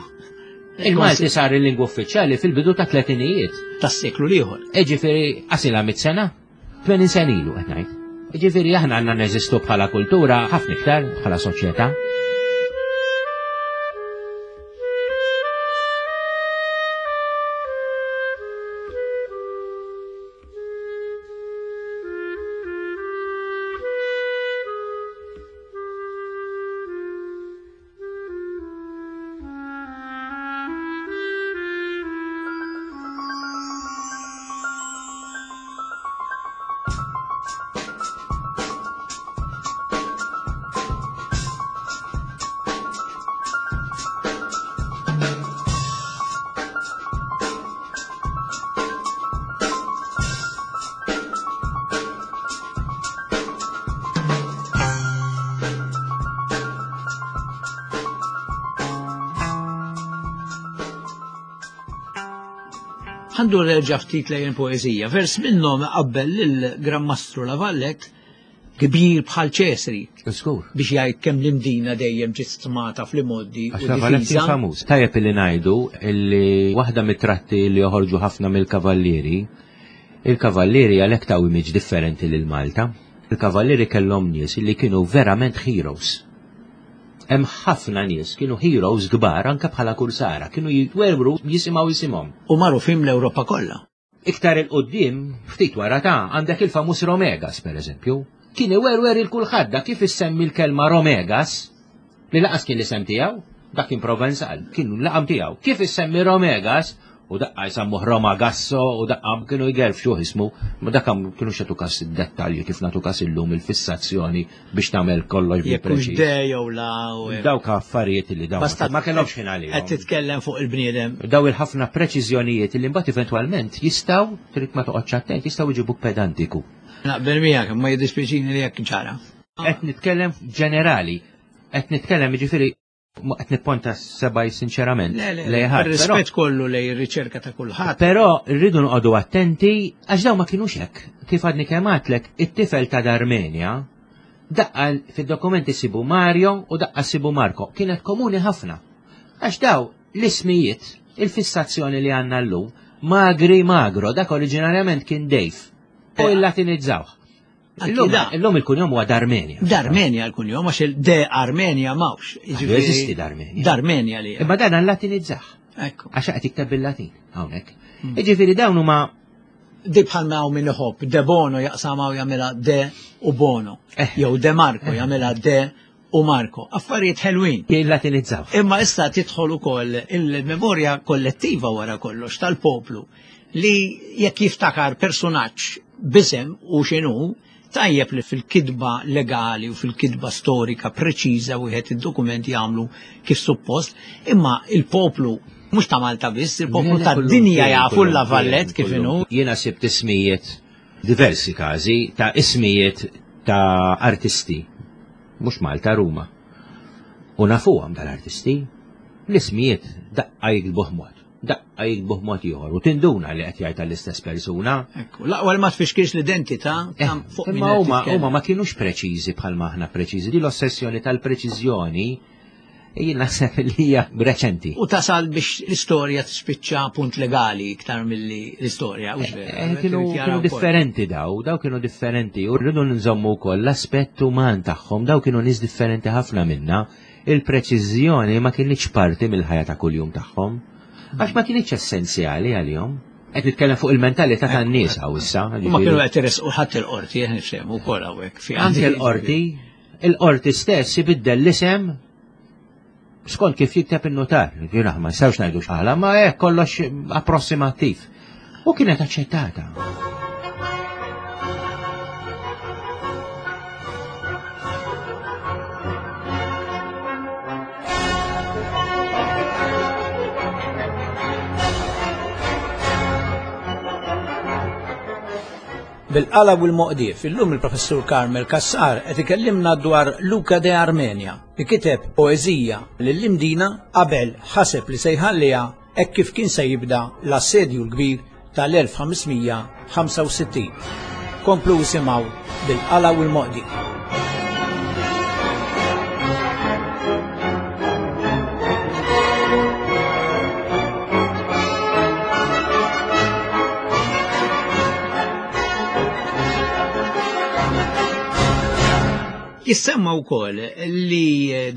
Speaker 2: Il-Malti sar il-lingwa uffiċjali fil-bidu ta' tletinijiet.
Speaker 1: Tas-seklu l-ieħor.
Speaker 2: Jiġifieri qasilha mit sena, 80 sena ilu qed ngħid. Jiġifieri aħna għandna neżistu bħala kultura ħafna iktar bħala soċjetà.
Speaker 1: Ħandu reġa' ftit lejn poeżija. Vers minnhom qabbel lil Gran Mastru La Valette kbir bħal Ċesri.
Speaker 2: Żgur.
Speaker 1: Biex jgħid kemm l-Imdina dejjem ġiet stmata fl-imgħoddi.
Speaker 2: Għax La Valette kien famuż. Tajjeb illi ngħidu illi waħda mit-tratti li joħorġu ħafna mill-kavallieri, il-kavallieri għalhekk taw image differenti lil Malta. Il-kavallieri kellhom nies illi kienu verament heroes. Hemm ħafna nies kienu heroes kbar anke bħala kursara, kienu jitwerwru jisimgħu isimhom.
Speaker 1: U magħrufin l-Ewropa kollha.
Speaker 2: Iktar 'il quddiem, ftit wara ta' għandek il-famuż Romegas, per eżempju. Kien iwerwer il kulħadd dak kif issemmi l-kelma Romegas, li laqas kien l-isem tiegħu, dak kien Provenzal, kien l-laqam tiegħu. Kif issemmi Romegas, u daqqa jsammuh Roma Gasso u daqqa kienu jgerfxuh ismu, ma dak kienu xatu kas id-dettalji kif natu kas illum il-fissazzjoni biex tagħmel kollox
Speaker 1: bil preċiż. Jekk de jew la
Speaker 2: u Dawk affarijiet li dawn ma kellhomx ħin għalihom.
Speaker 1: Qed titkellem fuq il-bniedem.
Speaker 2: Daw il-ħafna preċiżjonijiet li mbagħad eventwalment jistgħu trid ma toqgħodx attent jistgħu jġibuk pedantiku.
Speaker 1: Naqbel miegħek ma jiddispjaċini li jekk ġara.
Speaker 2: Qed nitkellem ġenerali, qed nitkellem jiġifieri Ma qed nipponta sebaj sinċerament.
Speaker 1: Le, le, rispett kollu lej ir-riċerka ta' kulħadd.
Speaker 2: Però rridu noqogħdu attenti għax dawn ma kinux hekk. Kif għadni kemm għadtlek, it-tifel ta' Darmenia daqqa fid-dokumenti sibu Mario u daqqa sibu Marco. Kienet komuni ħafna. Għax daw l-ismijiet, il-fissazzjoni li għandna llum, Magri Magro, dak oriġinarjament kien Dave. U il-Latinizzawh. Illum il-kunjom huwa Darmenia.
Speaker 1: Darmenia l-kunjom, għax il-de Armenia mawx.
Speaker 2: Jeżisti Darmenia.
Speaker 1: Darmenia li.
Speaker 2: Imma dan latinizzah.
Speaker 1: Ekku.
Speaker 2: Għax qed jikteb bil-Latin hawnhekk. Hmm. Jiġifieri dawn huma
Speaker 1: Di bħal ma hawn min iħobb, De Bono jaqsama u jagħmilha De u Bono. Eh. Jew De Marco eh. jagħmilha De u Marco. Affarijiet ħelwin.
Speaker 2: Jillatinizzaw.
Speaker 1: Imma issa tidħol ukoll il-memorja kollettiva wara kollox tal-poplu li jekk jiftakar personaġġ bisem u x'inhu, tajjeb li fil-kitba legali u fil-kitba storika preċiża wieħed id-dokument jagħmlu kif suppost, imma il-poplu mhux ta' Malta biss, il-poplu tad-dinja jafu la Vallet kif inhu.
Speaker 2: Jiena sibt ismijiet diversi każi ta' ismijiet ta' artisti, mhux Malta, Ruma. U nafuhom dal-artisti, l-ismijiet daqqa jiktbuh mod, daqqa jiktbuh mod ieħor u tinduna li qed jgħid għall-istess persuna.
Speaker 1: Ekku, l-aqwa li ma tfixkilx l-identità
Speaker 2: eh, fuq Imma huma huma ma kienux preċiżi bħalma aħna preċiżi. Di l-ossessjoni tal-preċiżjoni Jien naħseb li hija reċenti.
Speaker 1: U tasal biex l-istorja tispiċċa punt legali iktar milli l-istorja.
Speaker 2: Eh, eh, kienu differenti daw, daw kienu differenti u rridu nżommu wkoll l-aspett uman tagħhom, daw kienu nies differenti ħafna minna. Il-preċiżjoni ma kienx parti mill-ħajja ta' kuljum tagħhom. Għax ma kienx essenzjali għalihom. Qed nitkellem fuq il-mentalità tan-nies hawn issa.
Speaker 1: Ma kienu qed iresqu ħadd il-qorti, qed nifhemu wkoll hawnhekk.
Speaker 2: Anke l-qorti, Il-qorti stess ibiddel l-isem skont kif jikteb in-notar. Jiena ma nistgħux ngħidu x'għala, ma hekk kollox approssimattiv. U kienet aċċettata.
Speaker 1: Bil-qalab u l-moqdief, illum il-Professur Carmel Cassar qed ikellimna dwar Luca de Armenia li kiteb poeżija lill-Imdina qabel ħaseb li se jħalliha hekk kif kien se jibda l-Assedju l-Kbir tal-1565. Komplu isimgħu Bil-Qala u l-Moqdief. Jissemma wkoll li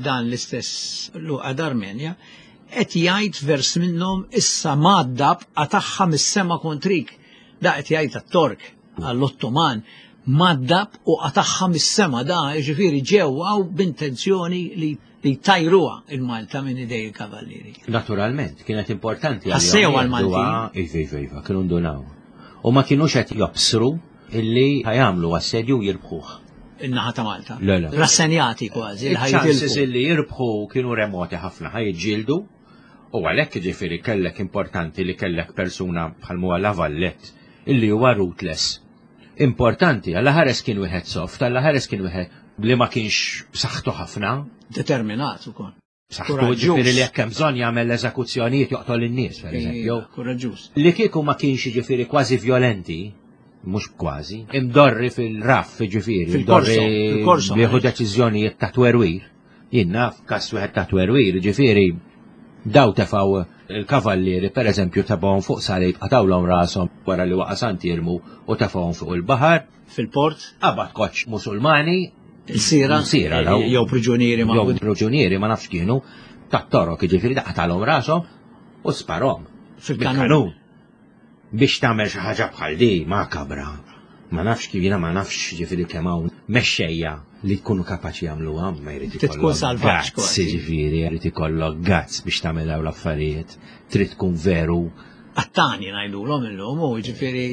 Speaker 1: dan l-istess Luqa d'Armenja qed jgħid vers minnhom issa mgħaddab qatagħha mis-sema kontrik. Da qed jgħid għat-Tork, għall-Ottoman, mgħaddab u qatagħha mis-sema da jiġifieri ġew hawn b'intenzjoni li li tajruha il-Malta minn idej il-Kavallieri.
Speaker 2: Naturalment, kienet importanti.
Speaker 1: Ħassew għal-Maltin.
Speaker 2: Iva, iva, iva, kienu ndunaw. U ma kienux qed jobsru illi ħajamlu assedju jirbħuh.
Speaker 1: In-naħa ta' Malta.
Speaker 2: Le, le.
Speaker 1: Rassenjati kważi.
Speaker 2: Il-ċansis illi jirbħu kienu remoti ħafna ħajġildu. U għalhekk ġifieri kellek importanti li kellek persuna bħal huwa La Vallette illi huwa ruthless Importanti, Alla ħares kien wieħed soft, Alla ħares kien wieħed li ma kienx b'saħħtu ħafna.
Speaker 1: Determinat ukoll.
Speaker 2: B'saħħtu ġifieri li jekk hemm bżonn jagħmel l-eżekuzzjonijiet joqtol in-nies, pereżempju.
Speaker 1: Kuraġġuż.
Speaker 2: Li kieku ma kienx jiġifieri kważi vjolenti, Mhux kważi. Imdorri fil-raff, ġifieri.
Speaker 1: Fil-korso, fil-korso.
Speaker 2: Jieħu deċiżjonijiet ta' twerwir. Jien naf każ wieħed ta' twerwir, ġifieri daw tefgħu il-kavallieri pereżempju tefgħuhom fuq salib qatgħulhom rashom wara li waqa' Sant'Iermu u tefgħuhom fuq il-baħar.
Speaker 1: Fil-port.
Speaker 2: Qabad koċċ Musulmani.
Speaker 1: Ilsira.
Speaker 2: Ilsira daw.
Speaker 1: Jew priġunieri
Speaker 2: ma. Jew priġunieri ma nafx kienu tat-Torok, jiġifieri da qatalhom rashom u sparhom.
Speaker 1: Fil-kanun.
Speaker 2: Biex tagħmel xi ħaġa bħal di makabra. Ma nafx kif jiena ma nafx ġifieri kemm hawn mexxejja li jkunu kapaċi jagħmluha ma jrid
Speaker 1: ikollok. Tkun salvaġġ
Speaker 2: kważi. Ġifieri jrid ikollok guts biex tagħmel dawn l-affarijiet. Trid tkun veru.
Speaker 1: Qattani ngħidulhom illum u ġifieri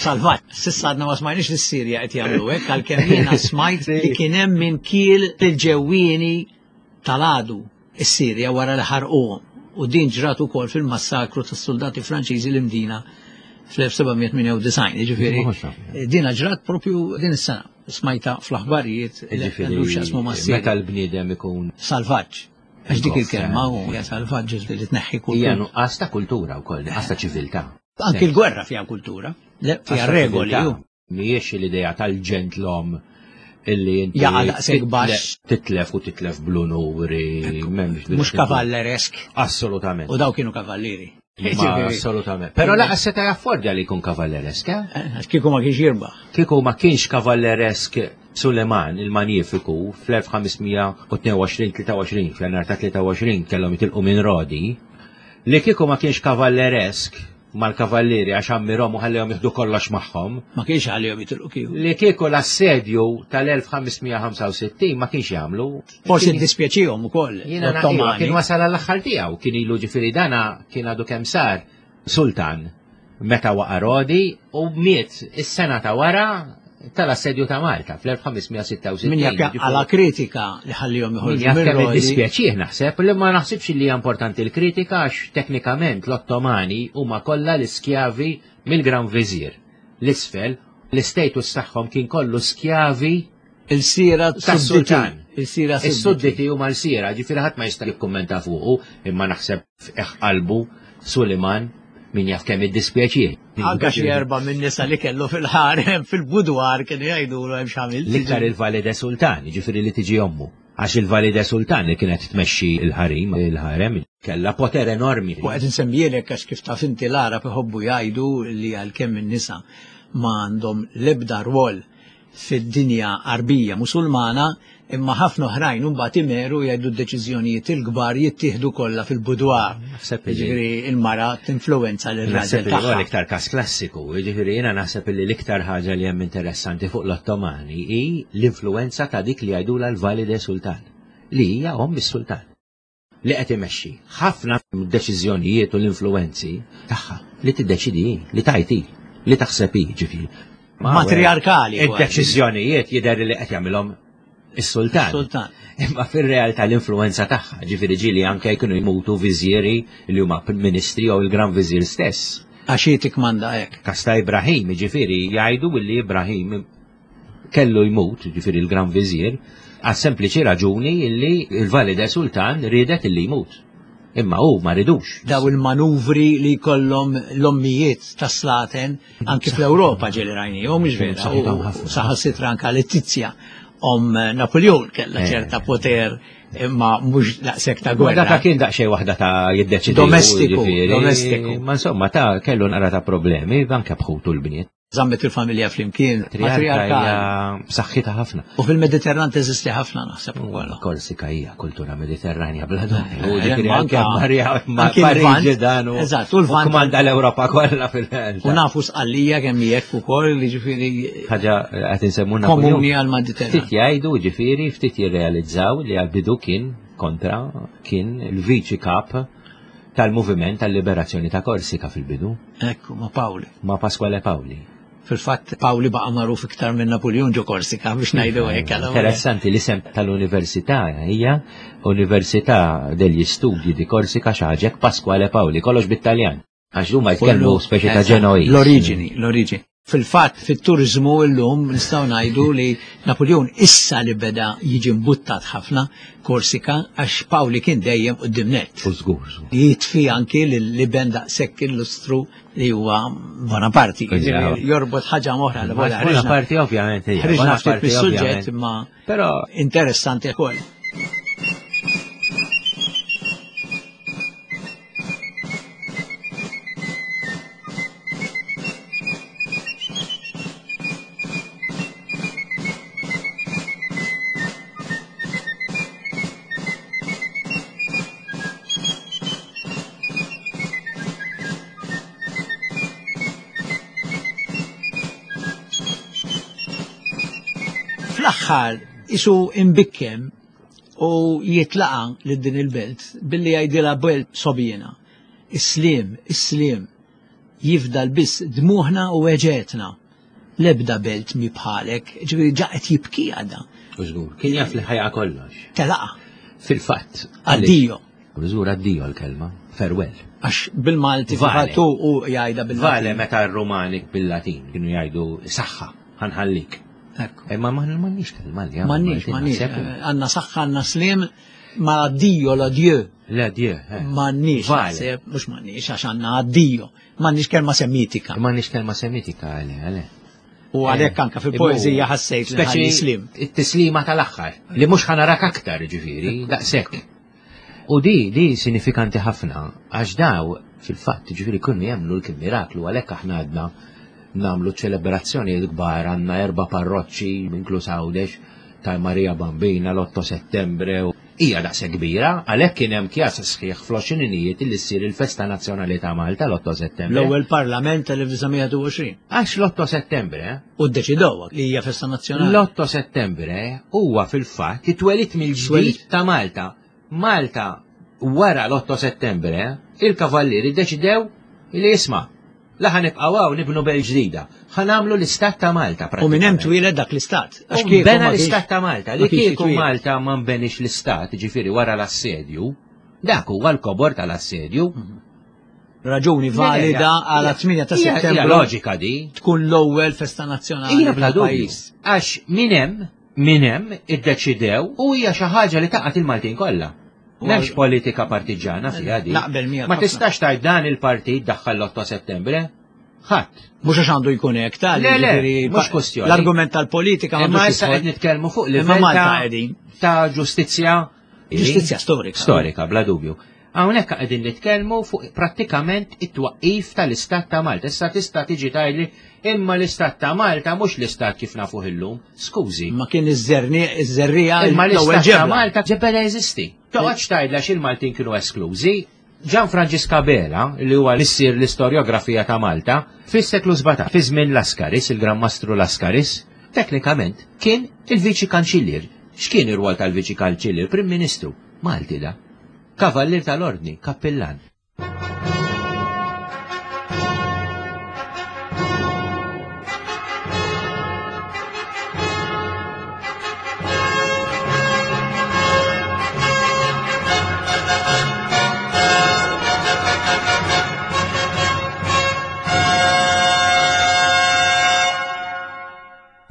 Speaker 1: salvaġġ. S'issa għadna ma smajniex li s-Sirja qed jagħmlu hekk għalkemm jiena smajt li kien hemm min kiel il-ġewwieni tal-għadu is-Sirja wara li ħarquhom u din ġrat ukoll fil-massakru tas-suldati Franċiżi l-Imdina fl-1798. Jiġifieri dina ġrat propju din is-sena. Smajta fl-aħbarijiet li għandu x'jaqsmu mas-Sirja.
Speaker 2: Meta l-bniedem ikun
Speaker 1: salvaġġ. Għax dik il-kelma u hija salvaġġ li tneħħi
Speaker 2: kultura. Hija nuqqas ta' kultura wkoll, nuqqas ta' ċiviltà.
Speaker 1: Anki l-gwerra fiha kultura, fiha regoli.
Speaker 2: Mhijiex l-idea tal-ġentlom illi inti
Speaker 1: Jaqa' daqshekk baxx.
Speaker 2: Titlef u titlef bl-unuri.
Speaker 1: Mhux kavalleresk.
Speaker 2: Assolutament.
Speaker 1: U daw kienu kavallieri.
Speaker 2: Assolutament. Però laqas seta' jaffordja li jkun kavalleresk, eh?
Speaker 1: eh? Għax kieku ma kienx jirbaħ.
Speaker 2: Kieku ma kienx kavalleresk Suleman il-Manjifiku fl-1522-23, f'Jannar ta' 23 kellhom jitilqu minn Rodi, li kieku ma kienx kavalleresk mal-kavallieri għax ammirhom u ħallihom jieħdu kollox magħhom.
Speaker 1: Ma kienx ħallihom jitilqu kieku.
Speaker 2: Li kieku l-assedju tal-1565 ma kienx jagħmlu.
Speaker 1: Forsi ddispjaċihom ukoll.
Speaker 2: Jiena kien wasal għall-aħħar tiegħu, kien ilu ġifieri dana kien għadu kemm sar sultan meta waqa' Rodi u miet is-sena ta' wara tal-assedju ta' Malta fl-1566.
Speaker 1: Min jaf għala kritika li ħallihom joħorġu.
Speaker 2: Min jaf kemm iddispjaċih naħseb li ma naħsibx li hija importanti l-kritika għax teknikament l-Ottomani huma kollha l-iskjavi mill-Gran Viżir. L-isfel, l-istatus tagħhom kien kollu skjavi
Speaker 1: Il-sira
Speaker 2: tas-sultan.
Speaker 1: Il-sira
Speaker 2: Is-sudditi huma l-sira, ġifieri ħadd ma jista' jikkummenta fuqu, imma naħseb f'qiegħ qalbu Suliman min jaf kemm iddispjaċih.
Speaker 1: Anka xi erba' minn nisa li kellu fil-ħarem fil-budwar kienu jgħidulu hemm x'għamilt.
Speaker 2: L-iktar il-Valide Sultan, jiġifieri li tiġi ommu. Għax il-Valide Sultan li kienet tmexxi l-ħarim, il-ħarem, kellha poter enormi.
Speaker 1: U qed insemmielek għax kif taf inti l-Għarab iħobbu jgħidu li għalkemm in-nisa ma għandhom l-ebda rwol fid-dinja Għarbija Musulmana, imma ħafna oħrajn imbagħad imeru jgħidu d-deċiżjonijiet il-kbar jittieħdu kollha fil-boudoir. Jiġifieri l-mara tinfluwenza lir-raġel
Speaker 2: tagħha. L-iktar każ klassiku, jiġifieri jiena naħseb li l-iktar ħaġa li hemm interessanti fuq l-Ottomani hi l-influwenza ta' dik li jgħidulha l-Valide Sultan, li hija omm is-sultan. li qed imexxi ħafna mid-deċiżjonijiet u l-influwenzi tagħha li tiddeċidi hi, li tgħid hi, li taħseb hi, ġifieri.
Speaker 1: Matriarkali.
Speaker 2: Id-deċiżjonijiet jidher li qed jagħmilhom is-sultan.
Speaker 1: Sultan.
Speaker 2: Imma fir-realtà l-influenza tagħha, ġifieri ġieli anke jkunu jmutu viżieri li huma ministri jew il-Gran Viżir stess.
Speaker 1: Għax hi tikmanda hekk.
Speaker 2: Każ ta' Ibrahim, ġifieri jgħidu li Ibrahim kellu jmut, ġifieri l-Gran Viżir, għas-sempliċi raġuni illi l-Valide Sultan riedet illi jmut. Imma hu ma ridux.
Speaker 1: Daw il-manuvri li jkollhom l-ommijiet tas-slaten anki fl-Ewropa ġieli rajnihom, mhux vera. Saħansitra anka Letizia om Napoleon kellha eh. ċerta poter imma mhux daqshekk ta' gwerra.
Speaker 2: Dak kien daqsxejn waħda ta' jiddeċidi.
Speaker 1: Domestiku, domestiku.
Speaker 2: Ma insomma ta' kellu naqra ta' problemi anke bħutu l-bniet.
Speaker 1: Żammet il-familja flimkien.
Speaker 2: Matriarka hija b'saħħitha ħafna.
Speaker 1: U fil-Mediterran teżisti ħafna naħseb ukoll.
Speaker 2: Korsika hija kultura Mediterranja bla dubju.
Speaker 1: Eh,
Speaker 2: Ġifieri
Speaker 1: anke
Speaker 2: Marija Pariġi dan u
Speaker 1: Eżatt, u l-Lvant.
Speaker 2: Kmanda l-Ewropa kollha fil
Speaker 1: U nafu sqallija kemm hekk ukoll li ġifieri
Speaker 2: ħaġa qed insemmuna
Speaker 1: komuni għall-Mediterran.
Speaker 2: Ftit jgħidu ġifieri ftit jirrealizzaw li għal-bidu kien kontra kien il-viċi kap tal-moviment tal-liberazzjoni ta' Korsika fil-bidu.
Speaker 1: Ekku, ma' Paoli.
Speaker 2: Ma' Pasquale Paoli.
Speaker 1: Fil-fatt, Paoli baqa' magħruf iktar minn Napuljun ġo Korsika biex ngħidu hekk.
Speaker 2: Interessanti l-isem tal-università hija Università degli Studi di Korsika xi ħaġa hekk Pasquale Paoli, kollox bit-Taljan. Għax huma jitkellmu speċi ta' Ġenoiż.
Speaker 1: L-oriġini, l-oriġini. Fil-fatt, fit-turiżmu llum nistgħu ngħidu li Napoleon issa li beda jiġi mbuttat ħafna Korsika għax Pawli kien dejjem quddiem nett.
Speaker 2: U żgur.
Speaker 1: Jitfi anki lill-iben daqshekk illustru li huwa Bonaparte. Jorbot ħaġa oħra li
Speaker 2: Bonaparte ovvjament.
Speaker 1: Ħriġna ftit mis-suġġett imma
Speaker 2: Però
Speaker 1: interessanti wkoll. Fl-aħħar isu imbikkem u jitlaqa lil din il-belt billi jgħidilha belt sobjena. Is-sliem, is-sliem, jifdal biss dmuħna u weġgħetna. L-ebda belt mi bħalek, ġifieri ġa qed jibki għadha.
Speaker 2: U żgur, kien jaf li ħajqa kollox.
Speaker 1: Telaqa.
Speaker 2: Fil-fatt.
Speaker 1: Addio.
Speaker 2: Żgur addio l-kelma, farewell.
Speaker 1: Għax bil-Malti fil-fatt u jgħidha bil-Malti.
Speaker 2: Vale meta r-Rumani bil-Latin kienu jgħidu saħħa, ħanħallik. Imma m'għandniex kelma li
Speaker 1: M'għandniex, m'għandniex. Għandna saħħa, għandna slim, ma addio l-adieu.
Speaker 2: L-adieu. Eh.
Speaker 1: M'għandniex, mhux m'għandniex għax għandna addio. M'għandniex kelma semitika.
Speaker 2: M'għandniex kelma semitika għale, għale.
Speaker 1: U għalhekk anka fil-poeżija ħassejt li slim.
Speaker 2: It-tislima tal-aħħar, li mhux ħanarak aktar ġifieri, daqshekk. U di, di sinifikanti ħafna, għax daw, fil-fatt, ġifieri kienu jemmnu l-kien miraklu, għalhekk aħna għadna nagħmlu ċelebrazzjonijiet kbar, għandna erba' parroċċi, inkluż Għawdex, ta' Marija Bambina, l-8 Settembre, hija daqshekk kbira, għalhekk kien hemm kjas sħiħ fl-għoxrininijiet li ssir il-Festa Nazzjonali ta' Malta l-8 Settembre.
Speaker 1: L-ewwel Parlament tal-1921.
Speaker 2: Għax l-8 Settembre.
Speaker 1: U ddeċidew li hija festa nazzjonali.
Speaker 2: L-8 Settembre huwa fil-fatt it-twelid mill-ġdid ta' Malta. Malta wara l-8 Settembre, il-Kavallieri ddeċidew li isma' la ħa nibqgħu hawn nibnu belt ġdida. Ħa nagħmlu l-Istat ta' Malta.
Speaker 1: U minn hemm twieled dak l-istat.
Speaker 2: Għax kieku bena l-Istat ta' Malta. Li kieku Malta ma nbenix l-Istat, ġifieri wara l-assedju, dak huwa l-kobor tal-assedju. Mhm.
Speaker 1: Raġuni valida għal 8 ta' settembru.
Speaker 2: Loġika di.
Speaker 1: Tkun l-ewwel festa nazzjonali.
Speaker 2: Hija bla dubju. Għax minn hemm minn hemm iddeċidew u hija xi ħaġa li taqgħet il-Maltin kollha. M'hemmx politika partiġana fiha di.
Speaker 1: Naqbel miegħek.
Speaker 2: Ma tistax tgħid dan il-partit daħħal l-8 Settembre. Ħadd.
Speaker 1: Mhux għax għandu jkun hekk tal
Speaker 2: Le, le, mhux kwestjoni.
Speaker 1: L-argument tal-politika
Speaker 2: ma issa qed nitkellmu fuq livell ta' ġustizzja.
Speaker 1: Ġustizzja storika.
Speaker 2: Storika, bla dubju. Hawnhekk qegħdin nitkellmu fuq prattikament it-twaqqif tal-Istat ta' Malta. Issa tista' tiġi tgħidli imma l-Istat ta' Malta mhux l-Istat kif nafuh illum. Skużi.
Speaker 1: Ma kien iż-żerniq
Speaker 2: Imma l-Istat ta' Malta ġebela jeżisti. Toqgħodx tgħidla x'il-Maltin kienu esklużi. Ġan Franġisk Abela, li huwa missier l-istorjografija ta' Malta, fis-seklu 17, fi żmien Laskaris, il-Gran Mastru Laskaris, teknikament kien il-Viċi Kanċillier. X'kien ir-rwol tal-Viċi Kanċillier? Prim Ministru. Malti da. Kavallier tal-Ordni, kappillan.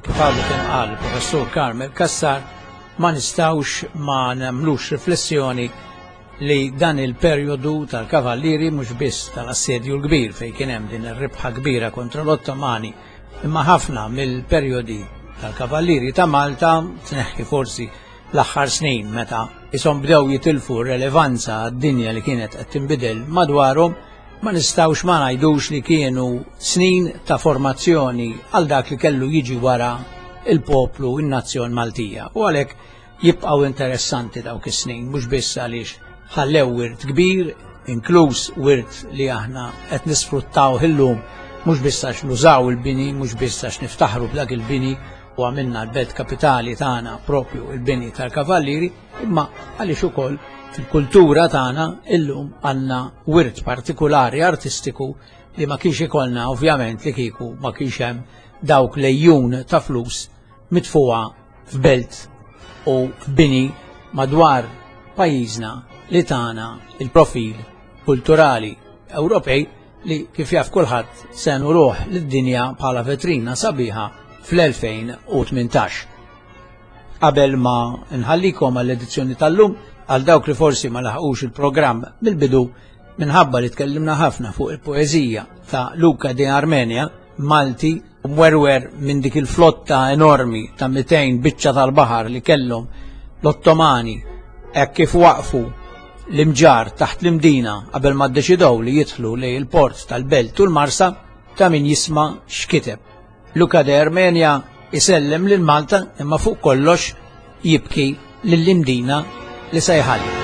Speaker 1: Kif għadu kemm qal il-Professur Carmel Cassar, ma nistgħux ma nagħmlux riflessjoni li dan il-perjodu tal-Kavallieri mhux biss tal-Assedju l-Kbir fejn kien hemm din ir-rebħa kbira kontra l-Ottomani, imma ħafna mill-perjodi tal-Kavallieri ta' Malta tneħħi forsi l-aħħar snin meta ishom bdew jitilfu r-relevanza għad-dinja li kienet qed tinbidel madwarhom, ma nistgħux ma ngħidux li kienu snin ta' formazzjoni għal dak li kellu jiġi wara il-poplu, in-nazzjon Maltija. U għalhekk jibqgħu interessanti dawk is-snin, mhux biss għaliex ħallew wirt kbir, inkluż wirt li aħna qed nisfruttaw illum, mhux biss għax nużaw il-bini, mhux biss għax niftaħru b'dak il-bini u għamilna l-belt kapitali tagħna propju il-bini tal-Kavallieri, imma għaliex ukoll fil-kultura tagħna illum għandna wirt partikulari artistiku li ma kienx ikollna ovvjament li kieku ma kienx hemm dawk lejjun ta' flus mitfuha f'belt u f'bini madwar pajjiżna li tagħna il-profil kulturali Ewropej. li kif jaf kulħadd se nuruh lid-dinja bħala vetrina sabiħa fl-2018. Qabel ma nħallikom għall-edizzjoni tal-lum, għal dawk li forsi ma laħqux il-programm mill-bidu, minħabba li tkellimna ħafna fuq il-poeżija ta' Luca de Armenia, Malti, mwerwer minn dik il-flotta enormi ta' 200 biċċa tal-baħar li kellhom l-Ottomani hekk kif waqfu l-imġar taħt l-Imdina qabel ma ddeċidew li jidħlu lejn il-port tal-Belt u l-Marsa, ta' min jisma' x'kiteb. Luca de Armenia isellem lil Malta imma fuq kollox jibki lill-Imdina li se jħalli.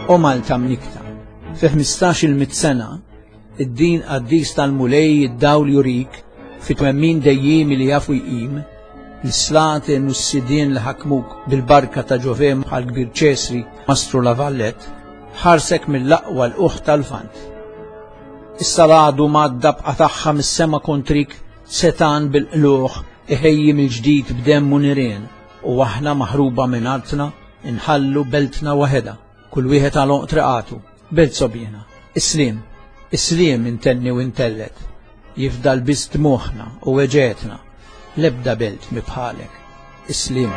Speaker 1: O Malta mnikta, fi 15 il sena, id-din qaddis tal-Mulej id-dawl jurik, fi twemmin dejjimi li jafu jqim, l-slaten u s-sidien li ħakmuk bil-barka ta' Ġovem bħal kbir Ċesri, Mastru La Vallet, ħarsek mill-aqwa l-uħ tal-Lvant. Issa l-għadu madda b'qatagħha mis-sema kontrik setan bil-qlugħ iħejji mill-ġdid b'demm u nirien u aħna maħruba minn artna inħallu beltna waħedha, kull wieħed għal għonq triqatu, belt sogħbiena. Is-sliem, is-sliem intenni u intellet, jifdal biss dmugħna u weġgħetna, l-ebda belt mi bħalek. Is-sliem.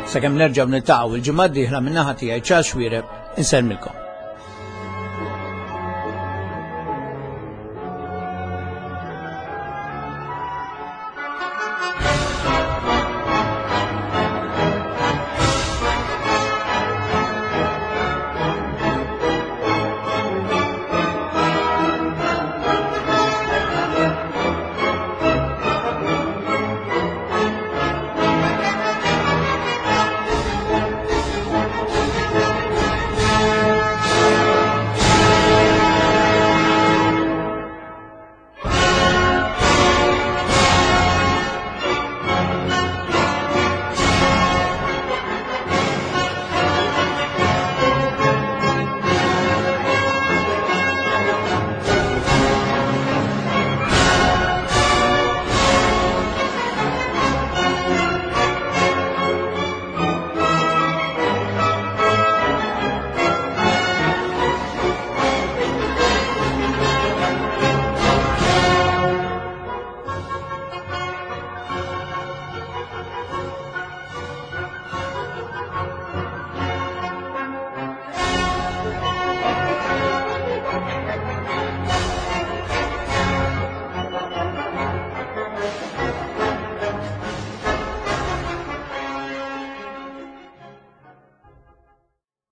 Speaker 1: Sakemm nerġgħu niltaqgħu il-ġimgħa d-dieħla min-naħa tiegħi Charles Xuereb insellmilkom.